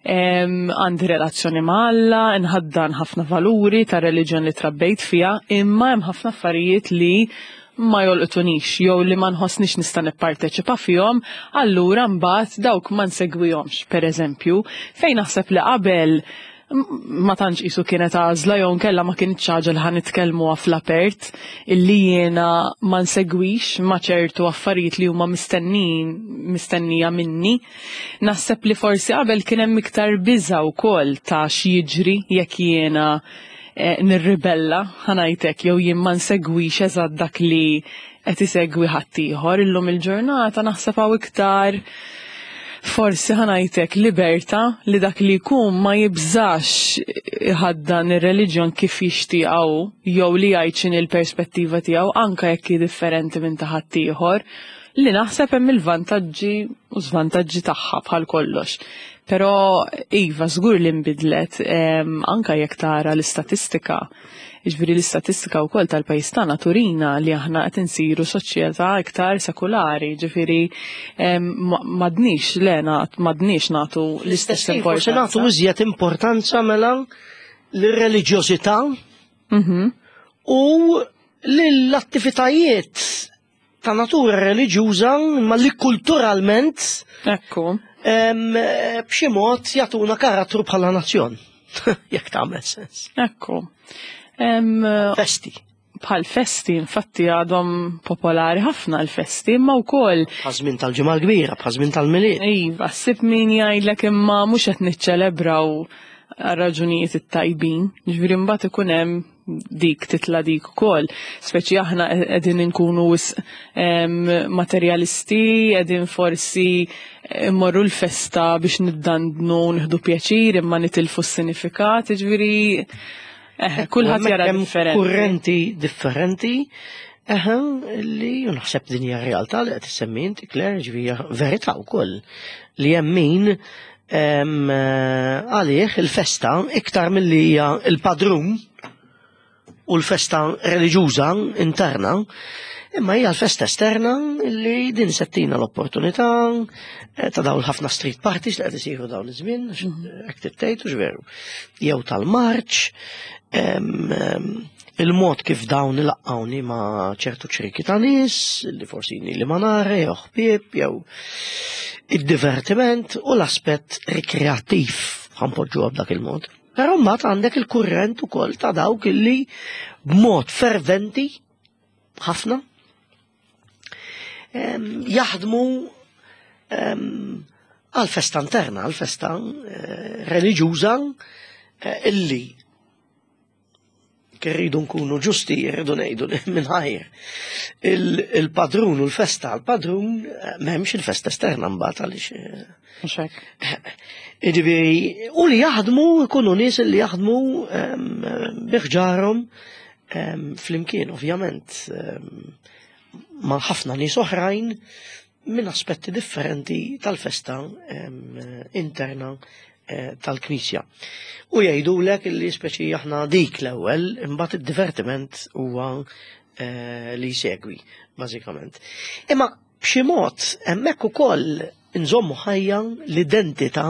em, għandi relazzjoni ma' Alla, nħaddan ħafna valuri ta' reliġjon li trabbejt fiha, imma hemm ħafna affarijiet li ma jolqtunix jew li ma nħossnix nista' nipparteċipa fihom, allura mbagħad dawk ma nsegwihomx, per eżempju, fejn naħseb li qabel m- ma tantx qisu kienet għażla jew nkella ma kienx ħaġa li ħa nitkellmuha fl-apert illi jiena ma nsegwix ma ċertu affarijiet li huma mistennijin mistennija minni. Naħseb li forsi qabel kien hemm iktar biża' wkoll ta' x'jiġri jekk jiena eh, nirribella, ħa ngħidlek, jew jien ma nsegwix eżatt dak li qed isegwi ħaddieħor. Illum il-ġurnata naħseb hawn iktar Forsi ħa ngħidlek libertà li dak li jkun ma jibżax iħaddan ir-reliġjon kif jixtiequ jew li jgħid x'inhi l-perspettiva tiegħu, anke jekk hi differenti minn ta' ħaddieħor, li naħseb hemm il-vantaġġi u żvantaġġi tagħha bħal kollox. Però iva, żgur li nbidlet, em, anke jekk tara l-istatistika. Jiġifieri l-istatistika wkoll tal-pajjiż tagħna turina li aħna qed insiru soċjetà iktar sekulari, ġifieri em, ma- m'għadniex le m'għadniex nagħtu l-istess Forsi nagħtu importanza. iżjed importanza mela lir-reliġjożità Mhm. u l-attivitajiet ta' natura reliġjuża, ma li kulturalment Ekku. em, b'xi mod jagħtuna karattru bħala nazzjon. Jekk tagħmel sens. Ekku. Em, Festi. Bħal festi, infatti għadhom popolari ħafna l-festi, imma wkoll Bħaż-żmien tal-Ġimgħa l-Kbira, bħaż-żmien tal-Milied. Iva, ssib min jgħidlek imma mhux qed niċċelebraw raġunijiet it-tajbin. Ġifieri mbagħad ikun hemm dik titla dik ukoll. Speċi aħna qegħdin inkunu wisq em, materialisti, qegħdin forsi immorru l-festa biex niddandnu, nieħdu pjaċir imma nitilfu s-sinifikat, ġifieri eh, kulħadd jara Hemm differenti. kurrenti differenti. Eħe, li naħseb din hija realtà li qed issemmi inti, Claire, ġifieri hija verità wkoll li hemm min em, eh, għalih il-festa iktar milli hija il-padrun u l-festa reliġjuża interna, imma hija l-festa esterna li din settina l-opportunità eh, ta' dawn ħafna street parties li qed isiru dawn iż-żmien, hekk tittejt u veru. Jew tal-marċ, em, em, il-mod kif dawn ilaqqawni ma' ċertu ċriki ta' nies, li forsi li ma nara, jew ħbieb, jew id-divertiment u l-aspett rikreattiv, ħa npoġġuha b'dak il-mod. Però mbagħad għandek il-kurrent ukoll ta' dawk illi b'mod ferventi ħafna em, jaħdmu em, għal-festa interna, għal-festa eh, reliġjuża eh, illi rridu nkunu ġusti, rridu ngħidu li mingħajr il-padrun u l-festa għal-padrun eh, m'hemmx il-festa esterna mbagħad għaliex eh, Mhux hekk. Jiġifieri, u li jaħdmu, ikunu nies li jaħdmu em, bi ħġarhom em, flimkien, ovvjament, em, ma' ħafna nies oħrajn minn aspetti differenti tal-festa em, interna eh, tal-Knisja. U jgħidulek li speċi aħna dik l-ewwel, imbagħad id-divertiment huwa eh, li jsegwi, bażikament. Imma b'xi mod hemmhekk ukoll nżommu ħajja l-identità,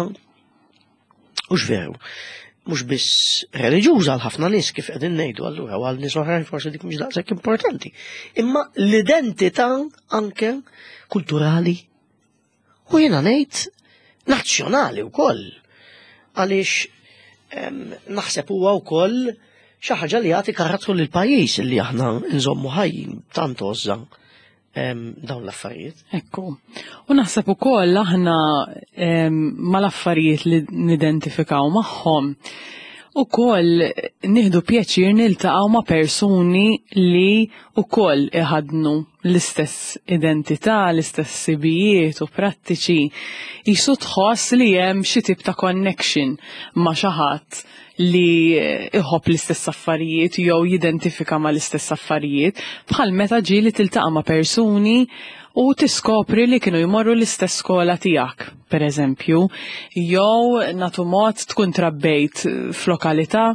u veru, mhux biss reliġjuża għal ħafna nies kif qegħdin ngħidu allura, u għal nies oħrajn forsi dik mhix daqshekk importanti. Imma l-identità anke kulturali u jiena ngħid nazzjonali wkoll. Għaliex em, naħseb huwa wkoll xi ħaġa li jagħti karattru lil pajjiż li aħna nżommu ħajjin tant għożża em, dawn l-affarijiet. Ekku. U naħseb ukoll aħna em, mal-affarijiet li nidentifikaw magħhom ukoll nieħdu pjaċir niltaqgħu ma' persuni li ukoll iħadnu l-istess identità, l-istess ħsibijiet u prattiċi. Jisu tħoss li hemm xi tip ta' connection ma' xi ħadd li iħobb l-istess affarijiet jew jidentifika ma' l-istess affarijiet, bħal meta ġieli tiltaqa' ma' persuni u tiskopri li kienu jmorru l-istess skola tiegħek, per eżempju, jew natu mod tkun trabbejt f'lokalità,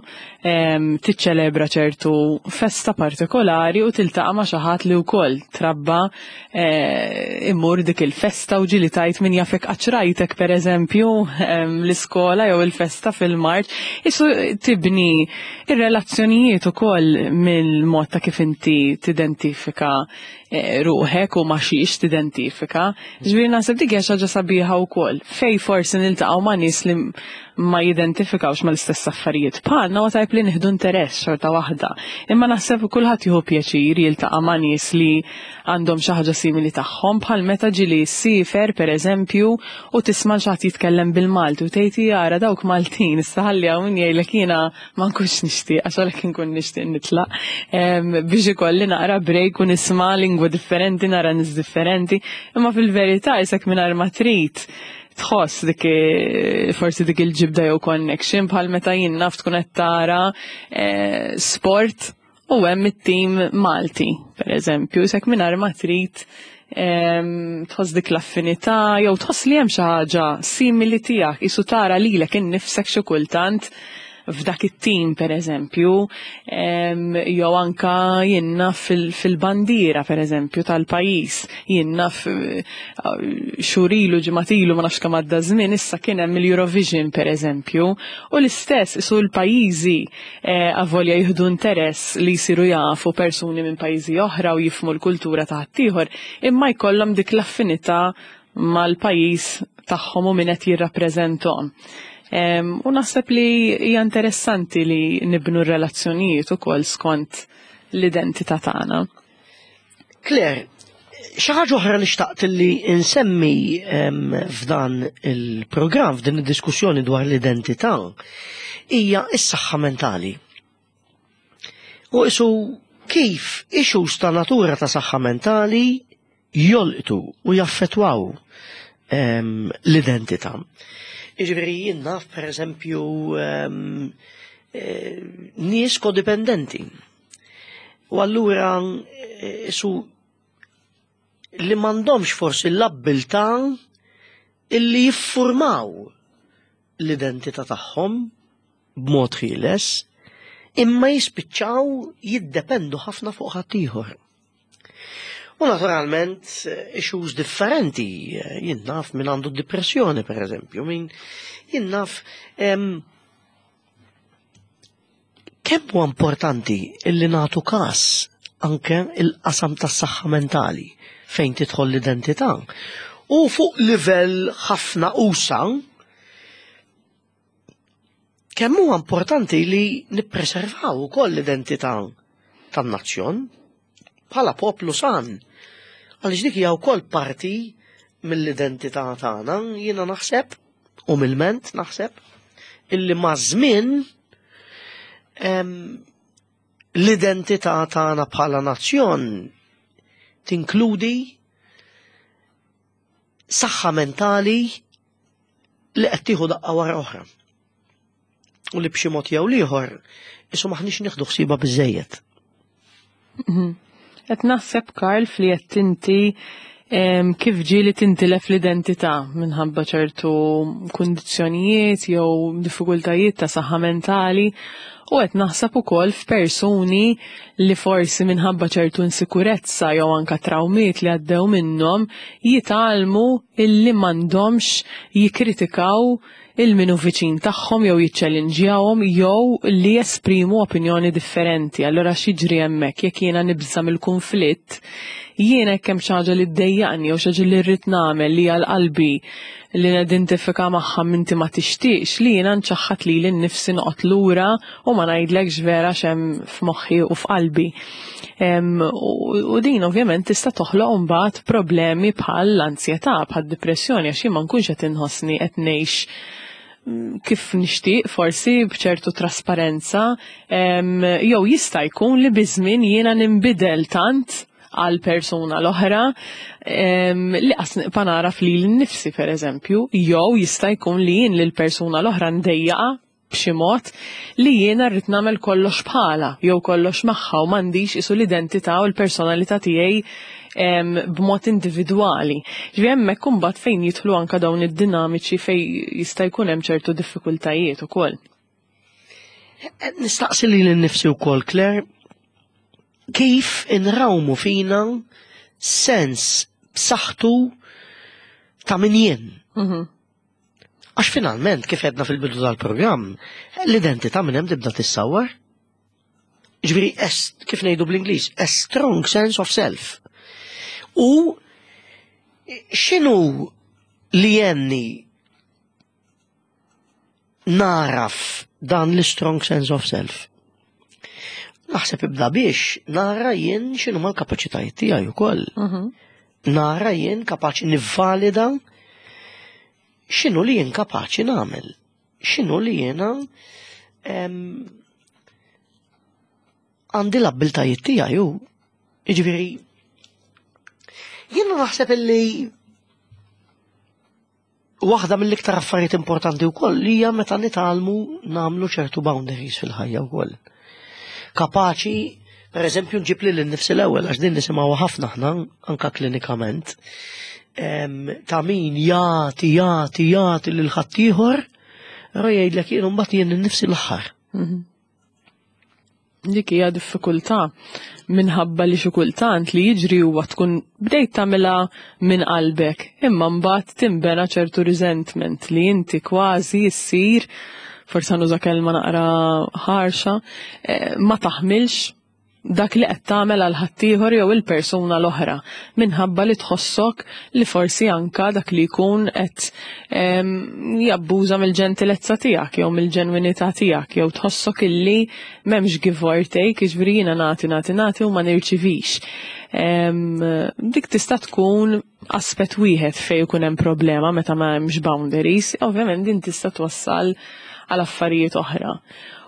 em, tiċċelebra ċertu festa partikolari u tiltaqa' ma' xi ħadd li wkoll trabba eh, immur dik il-festa u ġieli tajt min jafek għax rajtek, per eżempju, em, l-iskola jew il-festa fil-marċ, isu tibni ir-relazzjonijiet ukoll mill-mod ta' kif inti tidentifika eh, ruħek u ma' xiex tidentifika. Ġifieri naħseb dik hija xi ħaġa sabiħa wkoll. Fej forsi niltaqgħu ma' nies li ma jidentifikawx mal-istess affarijiet bħalna, u tajb li nieħdu interess xorta waħda. Imma naħseb kulħadd jieħu pjaċir jiltaqa' ma' nies li għandhom xi ħaġa simili tagħhom, bħal meta ġieli ssiefer, pereżempju, u tisma' xi ħadd jitkellem bil-Malti u tgħid jara dawk Maltin, issa ħalli hawn min jgħidlek jiena ma nkunx nixtieq, għax għalhekk inkun nixtieq nitlaq em, biex ikolli naqra break u nisma' lingwa differenti, nara nies differenti, imma fil-verità isek mingħajr ma trid Tħoss dik forsi dik il-ġibda jew connection bħal meta jien naf tkun qed tara eh, sport u hemm it-tim Malti, per eżempju, sek mingħajr ma trid tħoss dik l-affinità jew tħoss li hemm xi ħaġa simili tiegħek, isu tara lilek innifsek xi kultant f'dak it-tim per eżempju, jew anka jien naf fil-bandiera per eżempju tal-pajjiż, jien naf eh, xhur ilu, ġimgħat ilu, ma nafx kemm għadda żmien, issa kien hemm il-Eurovision per eżempju, u l-istess isu l-pajjiżi eh, avolja jieħdu interess li jsiru jafu persuni minn pajjiżi oħra u jifhmu l-kultura ta' ħaddieħor, imma jkollhom dik l-affinità mal-pajjiż tagħhom u min qed jirrappreżentahom. U naħseb li hija interessanti li nibnu r-relazzjonijiet ukoll skont l-identità tagħna. Claire, xi ħaġa oħra li xtaqt li insemmi f'dan il-programm, f'din id-diskussjoni dwar l-identità, hija s-saħħa mentali. U isu kif issues ta' natura ta' saħħa mentali jolqtu u jaffetwaw l-identità. Iġifieri jien naf, per eżempju, eh, nies kodipendenti. U allura eh, su li m'għandhomx forsi l-abbiltà illi jiffurmaw l-identità tagħhom b'mod ħieles, imma jispiċċaw jiddependu ħafna fuq ħaddieħor. U naturalment issues differenti, jien naf min għandu depressjoni per eżempju, min jien naf kemm huwa importanti illi nagħtu każ anke il-qasam tas-saħħa mentali fejn tidħol l-identità. U fuq livell ħafna usa, kemm huwa importanti li nippreservaw ukoll l-identità tan-nazzjon bħala poplu san. Għaliex dik hija wkoll parti mill-identità tagħna, jiena naħseb, umilment naħseb, illi maż-żmien l-identità tagħna bħala nazzjon tinkludi saħħa mentali li qed tieħu daqqa wara oħra. U li b'xi mod jew ieħor isu maħniex nieħdu ħsiebha biżejjed. Mhm. Qed naħseb, Karl, fli qed inti kif ġieli tintilef l-identità minħabba ċertu kundizzjonijiet jew diffikultajiet ta' saħħa mentali, u qed naħseb ukoll f'persuni li forsi minħabba ċertu insikurezza jew anka trawmiet li għaddew minnhom jitgħallmu illi m'għandhomx jikkritikaw il-minu viċin tagħhom jew jiċċellinġjawhom jew li jesprimu opinjoni differenti. Allora x'jiġri hemmhekk? Jekk jiena nibża mill-konflitt, jiena jekk hemm xi ħaġa li ddejjaqni jew xi ħaġa li rrid nagħmel li għal qalbi li nidentifika magħha minti ma tixtieqx li jiena nċaħħad lili nnifsi, noqgħod lura u ma ngħidlekx vera x'hemm f'moħħi u f'qalbi. U din ovvjament tista' toħloq imbagħad problemi bħal l-ansjetà, bħal depressjoni, għax jien ma nkunx qed inħossni qed ngħix kif nixtieq, forsi b'ċertu trasparenza, jew jista' jkun li biż-żmien jiena ninbidel tant għal persuna l-oħra li qas nibqa' nagħraf lili nnifsi, per eżempju, jew jista' jkun li jien lil persuna l-oħra ndejjaqa b'xi mod li jiena rrid nagħmel kollox bħala jew kollox magħha u m'għandix isu l-identità u l-personalità tiegħi b'mod individwali. Ġifieri hemmhekk imbagħad fejn jidħlu anke dawn id-dinamiċi fejn jista' jkun hemm ċertu diffikultajiet ukoll. Nistaqsi lili nnifsi wkoll, Claire, kif inrawmu fina sens b'saħħtu ta' min jien. Mhm. Għax finalment, kif għedna fil-bidu tal-programm, l-identità minn hemm tibda tissawar. Ġifieri, kif ngħidu bl-Ingliż, a strong sense of self. U x'inhu li jenni naraf dan l-strong sense of self? Naħseb ibda biex nara jien x'inhu mal-kapaċitajiet tiegħi ukoll. Mhm. Nara jien kapaċi nivvalida x'inhu li jien kapaċi nagħmel. X'inhu li jiena għandi l-abbiltajiet tiegħi u jiġifieri jiena naħseb illi Waħda mill-iktar affarijiet importanti wkoll hija meta nitgħallmu nagħmlu ċertu boundaries fil-ħajja wkoll. Kapaċi, per eżempju, nġib lili nnifsi l-ewwel, għax din nisimgħu ħafna aħna anka klinikament, ta' min jagħti, jagħti, jagħti lil ħaddieħor, però jgħidlek jien mbagħad jien innifsi l-aħħar. Mhm. Dik hija diffikultà minħabba li xi kultant li jiġri huwa tkun bdejt tagħmilha minn qalbek, imma mbagħad tinbena ċertu resentment li inti kważi ssir, forsi nuża kelma naqra ħarxa, eh, ma taħmilx dak li qed tagħmel għal ħaddieħor jew il-persuna l-oħra minħabba li tħossok li forsi anka dak li jkun qed jabbuża mill-ġentilezza tiegħek jew mill-ġenwinità tiegħek, jew tħossok illi m'hemmx give or take, jiġifieri jiena nagħti, nagħti, nagħti u ma nirċivix. Dik tista' tkun aspett wieħed fejn ikun hemm problema meta ma hemmx boundaries, ovvjament din tista' twassal għal affarijiet oħra.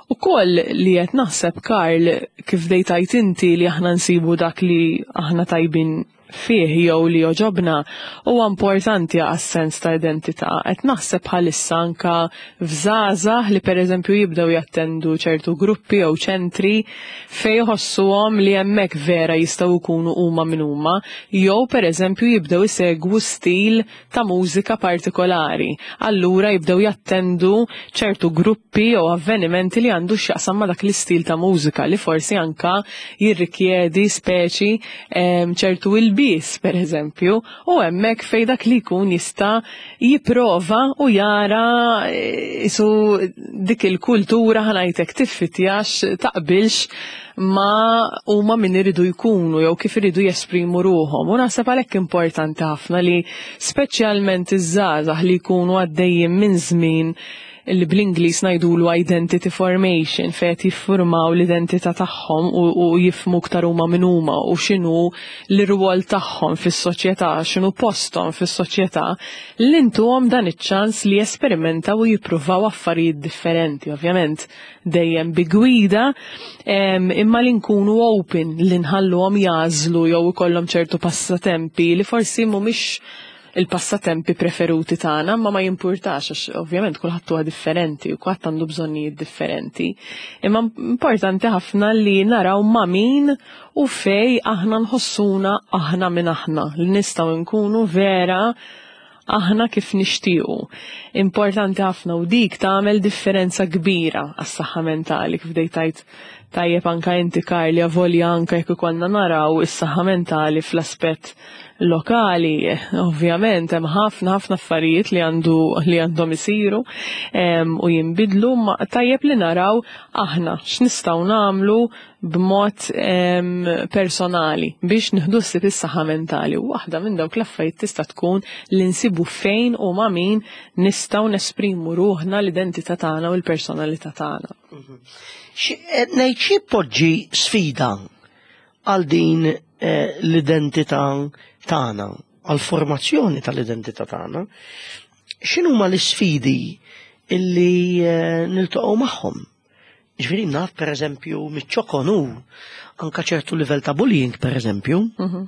U koll li qed naħseb, Karl, kif dejtajt inti li aħna nsibu dak li aħna tajbin fih jew li joġobna huwa importanti għas-sens ta' identità. Qed naħseb bħalissa anka f'żgħażagħ li pereżempju jibdew jattendu ċertu gruppi jew ċentri fejn jħossuhom li hemmhekk vera jistgħu jkunu huma min huma, jew pereżempju jibdew isegwu stil ta' mużika partikolari. Allura jibdew jattendu ċertu gruppi jew avvenimenti li għandu x'jaqsam ma' dak l-istil ta' mużika li forsi anka jirrikjedi speċi ċertu il bis, per eżempju, u hemmhekk fej dak li jkun jista' jipprova u jara isu dik il-kultura, ħa ngħidlek, tiffitjax, taqbilx ma huma min iridu jkunu jew kif iridu jesprimu ruħhom. U naħseb għalhekk importanti ħafna li speċjalment iż-żgħażagħ li jkunu għaddejjin minn żmien li bl-Ingliż ngħidulu identity formation, fejn qed jiffurmaw l-identità tagħhom u, u jifhmu aktar huma min huma u x'inhu l-irwol tagħhom fis-soċjetà, x'inhu posthom fis-soċjetà, li ntuhom dan iċ-ċans li jesperimentaw u jippruvaw affarijiet differenti, ovvjament dejjem bi gwida, imma li nkunu open li nħalluhom jagħżlu jew ikollhom ċertu passatempi li forsi mhumiex il-passatempi preferuti tagħna, ma ma jimpurtax għax ovvjament kulħadd huwa differenti u kulħadd għandu bżonnijiet differenti. Imma importanti ħafna li naraw ma' min u fej aħna nħossuna aħna minn aħna, li nistgħu nkunu vera aħna kif nixtiequ. Importanti ħafna u dik tagħmel differenza kbira għas-saħħa mentali, kif dejtajt tajjeb anka inti, Karli, avolja anka jekk ikollna naraw is-saħħa mentali fl-aspett lokali, ovvjament hemm ħafna ħafna affarijiet li għandu li għandhom isiru u jinbidlu, ma tajjeb li naraw aħna x'nistgħu nagħmlu b'mod personali biex nieħdu ħsieb is-saħħa mentali. U waħda minn dawk l-affarijiet tista' tkun li nsibu fejn u ma' min nistgħu nesprimu ruħna, l-identità tagħna u l-personalità tagħna. Ngħid xi poġġi sfida għal din eh, l-identità tagħna, għal formazzjoni tal-identità tagħna, x'inhuma l-isfidi illi eh, niltaqgħu magħhom? Ġifieri naf pereżempju miċ-ċokon anka ċertu livell ta' bullying, pereżempju. Mhm.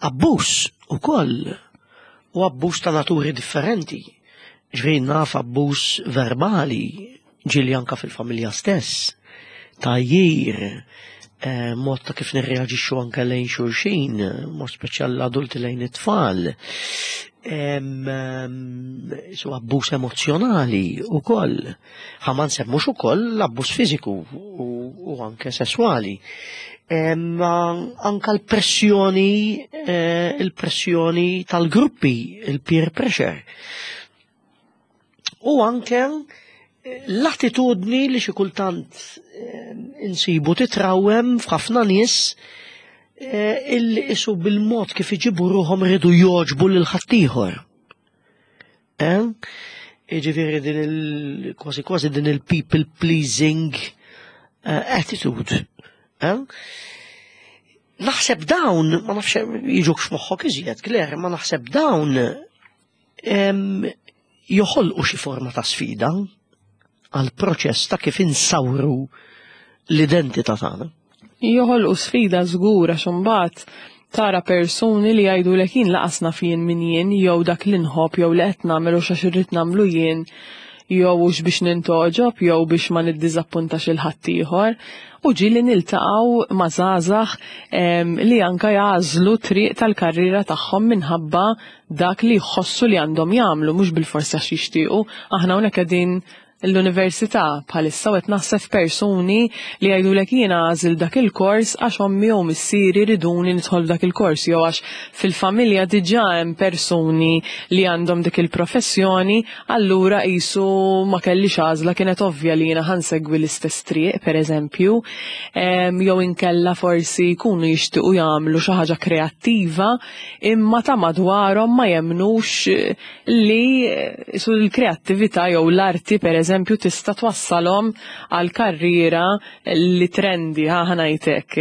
Abbuż ukoll, u abbuż ta' naturi differenti. Ġifieri naf abbuż verbali, ġieli anka fil-familja stess, tajjir, eh, mod ta' kif nirreaġixxu anke lejn xulxin, mod speċjali l-adulti lejn it-tfal. Su abbuż emozjonali ukoll. Ħa ma nsemmux ukoll l-abbuż fiżiku u, u anke sesswali. Anka l-pressjoni, eh, il-pressjoni tal-gruppi, il-peer pressure. U anke l-attitudni li xi kultant eh, insibu titrawem f'ħafna nies eh, illi isu bil-mod kif iġibu ruħhom iridu jogħġbu lil ħaddieħor. Eh? Jiġifieri din il kważi kważi din il-people pleasing attitude. Naħseb dawn, ma nafx jiġukx moħħok iżjed, Claire, ma naħseb dawn joħolqu xi forma ta' sfida għal proċess ta' kif insawru l-identità tagħna. Joħolqu sfida żgur għax imbagħad Tara persuni li jgħidulek jien lanqas naf jien min jien, jew dak li nħobb jew li qed nagħmel u x'għax irrid nagħmlu jien, jew hux biex nintogħġob jew biex ma niddiżappuntax lil ħaddieħor. U ġieli niltaqgħu ma' żgħażagħ li anka jagħżlu triq tal-karriera tagħhom minħabba dak li jħossu li għandhom jagħmlu, mhux bilforsi għax jixtiequ. Aħna hawnhekk qegħdin l-università bħalissa u qed naħseb persuni li jgħidulek jiena għażilt dak il-kors għax ommi jew missieri riduni nidħol dak il-kors, jew għax fil-familja diġà hemm persuni li għandhom dik il-professjoni, allura qisu ma kellix għażla, kienet ovvja li jiena ħa nsegwi l-istess triq, pereżempju, jew inkella forsi jkunu jixtiequ jagħmlu xi ħaġa kreattiva imma ta' madwarhom ma jemnux li su l-kreattività jew l-arti pereżempju tista' twassalhom għal karriera li trendi, ħa ngħidlek.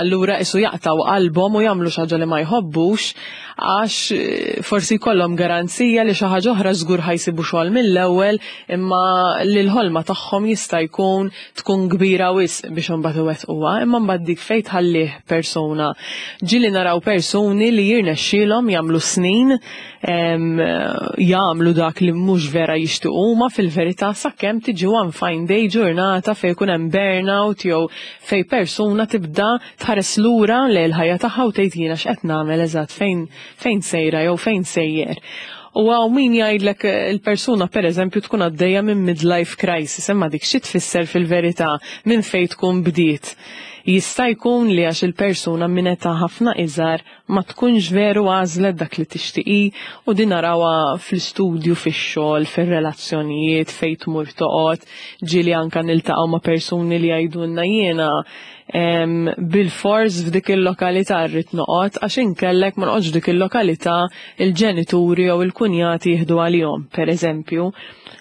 Allura isu jaqtaw qalbhom u jagħmlu xi ħaġa li ma jħobbux għax forsi jkollhom garanzija li xi ħaġa oħra żgur ħa jsibu xogħol mill-ewwel, imma li l-ħolma tagħhom jista' jkun tkun kbira wisq biex imbagħad iwettquha, imma mbagħad dik fejn tħallih persuna. Ġieli naraw persuni li jirnexxielhom jagħmlu snin jagħmlu dak li mhux vera jixtiequ huma fil-verità, sakemm tiġi one fine day, ġurnata fejn jkun hemm burnout jew fejn persuna tibda tħares lura lejn il-ħajja tagħha u tgħid jiena x'qed nagħmel eżatt, fejn fejn sejra jew fejn sejjer. U hawn min jgħidlek il-persuna per eżempju tkun għaddejja minn midlife crisis, imma dik xi tfisser fil-verità, minn fejn tkun bdiet? Jista' jkun li għax il-persuna minn età ħafna iżgħar ma tkunx veru għażlet dak li tixtieqi, u din narawha fl-istudju, fix-xogħol, fir-relazzjonijiet, fejn tmur toqgħod. Ġieli anka niltaqgħu ma' persuni li jgħidulna jiena bil-fors f'dik il-lokalità rrid noqgħod għax inkellek ma noqgħodx dik il-lokalità il-ġenituri jew il-kunjati jieħdu għalihom, pereżempju.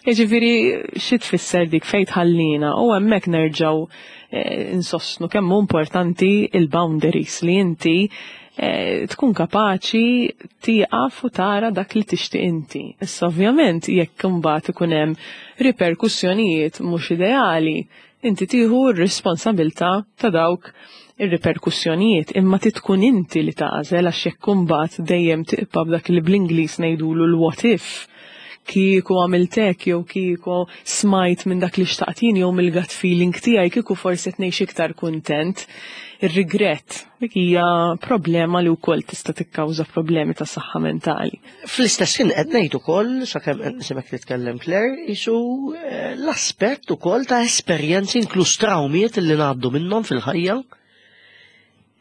Jiġifieri xi tfisser dik, fejn tħallina? U hemmhekk nerġgħu eh, insostnu kemm hu importanti il-boundaries, li inti eh, tkun kapaċi tieqaf u tara dak li tixtieq inti. Issa ovvjament jekk imbagħad ikun hemm riperkussjonijiet mhux ideali, inti tieħu r-responsabilità ta' dawk ir-riperkussjonijiet, imma tkun inti li tagħżel, għax jekk imbagħad dejjem tibqa' b'dak li bl-Ingliż ngħidulu l-what if, kieku għamilt hekk jew kieku smajt minn dak li xtaqt jien jew mill-gut feeling tiegħi, kieku forsi qed ngħix iktar kuntent. Ir-regret dik hija problema li wkoll tista' tikkawża problemi ta' saħħa mentali. Fl-istess ħin qed ngħid ukoll, sakemm qed nisimgħek titkellem Claire, isu eh, l-aspett ukoll ta' esperjenzi inkluż trawmiet li ngħaddu minnhom fil-ħajja.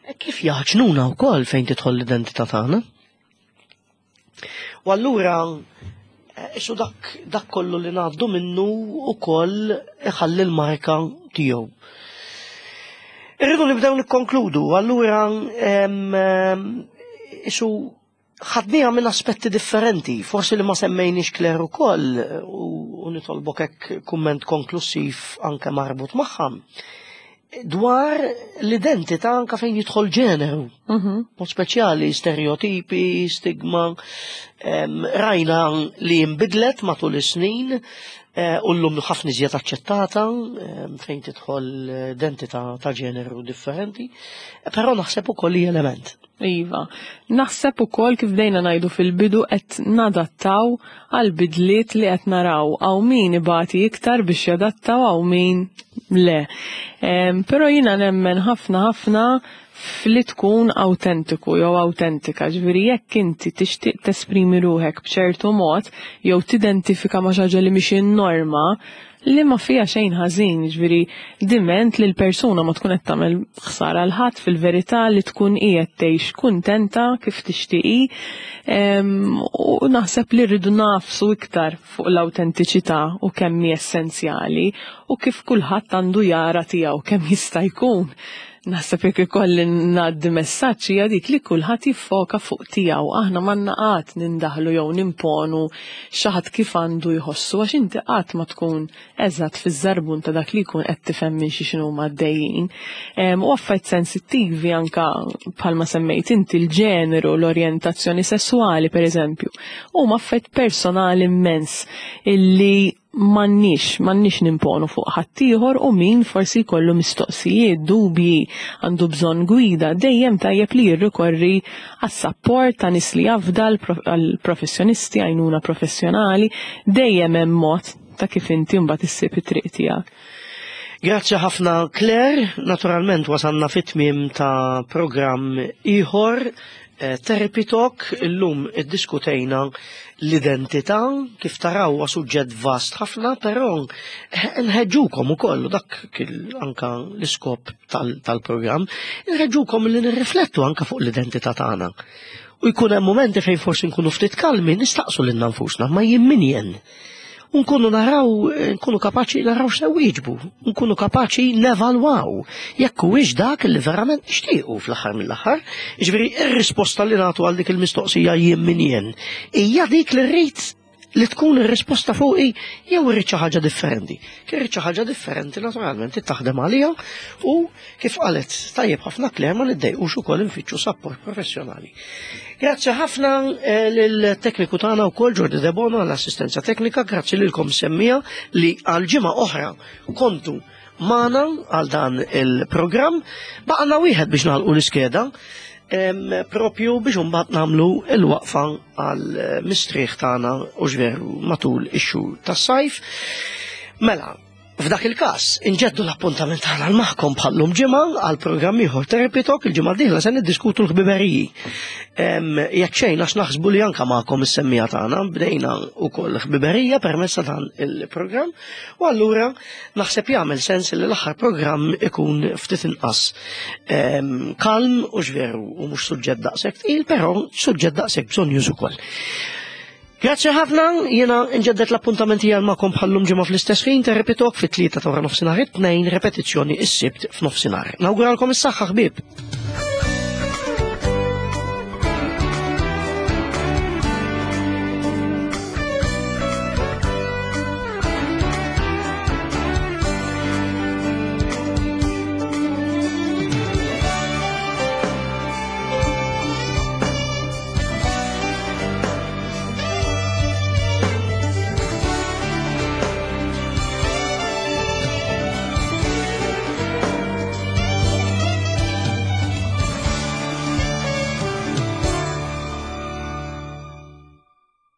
E kif jaħġnuna wkoll fejn tidħol l-identità tagħna. U allura isu dak, dak kollu li ngħaddu minnu ukoll iħalli l-marka tiegħu. Irridu nibdew nikkonkludu, allura isu ħadniha minn aspetti differenti, forsi li ma semmejniex Claire ukoll, u nitolbok hekk kumment konklusiv anke marbut magħha, dwar l-identità anka fejn jidħol ġeneru. Mhm. Mod speċjali stereotipi, stigma, em, rajna li jinbidlet matul is-snin, eh, u llum ħafna iżjed aċċettata em, fejn tidħol identità ta' ġeneru differenti, però naħseb ukoll li element. Iva, naħseb ukoll kif bdejna ngħidu fil-bidu qed nadattaw għal bidliet li qed naraw, hawn min ibati iktar biex jadattaw, hawn min le. Em, Però jiena nemmen ħafna ħafna fli tkun autentiku jew autentika, ġifieri jekk inti tixtieq tesprimi ruħek b'ċertu mod jew tidentifika ma' xi ħaġa li mhix in-norma, li ma fija xejn ħażin, ġifieri diment li l-persuna ma tkun qed tagħmel ħsara l ħadd fil-verità, li tkun qiegħed tgħix kuntenta kif tixtieqi. Em, u naħseb li rridu nagħfsu iktar fuq l-awtentiċità u kemm hi essenzjali u kif kulħadd għandu jara tiegħu kemm jista' jkun. Naħseb jekk ikolli ngħaddi messaġġ hija dik li kulħadd jiffoka fuq tiegħu. Aħna m'għandna qatt nindaħlu jew nimponu xi ħadd kif għandu jħossu, għax inti qatt ma tkun eżatt fiż-żarbun ta' dak li jkun qed tifhem minn xi x'inhu għaddejjin. Em, U affarijiet sensittivi anka bħalma semmejt inti l-ġeneru, l-orjentazzjoni sesswali pereżempju, huma affarijiet personali immens illi m'għandniex, m'għandniex nimponu fuq ħaddieħor u min forsi jkollu mistoqsijiet, dubji, għandu bżonn gwida, dejjem tajjeb li jirrikorri għas-sapport ta' nies li jafda, għall-professjonisti, għajnuna professjonali, dejjem hemm mod ta' kif inti mbagħad issib it-triq tiegħek. Grazzi ħafna Claire, naturalment wasanna fit-tmiem ta' programm ieħor Therapy Talk. Illum iddiskutejna l-identità, kif taraw huwa suġġett vast ħafna, però nħeġġukom ukoll, dak anka l-iskop tal-programm, nħeġġukom li nirriflettu anka fuq l-identità tagħna. U jkun hemm momenti fejn forsi nkunu ftit kalmi, nistaqsu lilna nfusna, ma jien min jien? Nkunu naraw, nkunu kapaċi naraw x'se wieġbu, nkunu kapaċi nevalwaw jekk huwiex dak li verament nixtiequ fl-aħħar mill-aħħar. Jiġifieri ir-risposta li nagħtu għal dik il-mistoqsija jien min jien hija dik li rrid li tkun ir-risposta fuqi jew irrid xi ħaġa differenti. Kif irrid xi ħaġa differenti, naturalment taħdem għalija u kif qalet tajjeb ħafna Claire, ma niddejqux ukoll infittxu support professjonali. Grazzi ħafna lill-tekniku tagħna wkoll Jordi Debono għall-assistenza teknika, grazzi lilkom semmiegħa li għal ġimgħa oħra kontu magħna għal dan il-programm. Baqgħna wieħed biex nagħlqu l-iskeda, propju biex mbagħad nagħmlu l-waqfa għal mistrieħ tagħna u ġveru matul ix-xhur tas-sajf. Mela, f'dak il-każ, inġeddu l-appuntament tagħna magħkom bħallum ġimgħa għal programm ieħor Therapy Talk. Il-ġimgħa d-dieħla se niddiskutu l-ħbiberiji. Jekk xejn għax naħsbu li anka magħkom is-semmiegħa tagħna bdejna wkoll ħbiberija permezz ta' dan il-programm, u allura naħseb jagħmel sens li l-aħħar programm ikun ftit inqas kalm u ġveru u mhux suġġett daqshekk tqil, però suġġett daqshekk bżonn ukoll. Grazzi ħafna, jiena nġeddet l-appuntament għal magħkom bħallum ġimgħa fl-istess ħin, Therapy Talk fit-tlieta ta' nofsinhar, it-tnejn, repetizzjoni is-Sibt f'nofsinhar. Nawguralkom is-saħħa, ħbieb.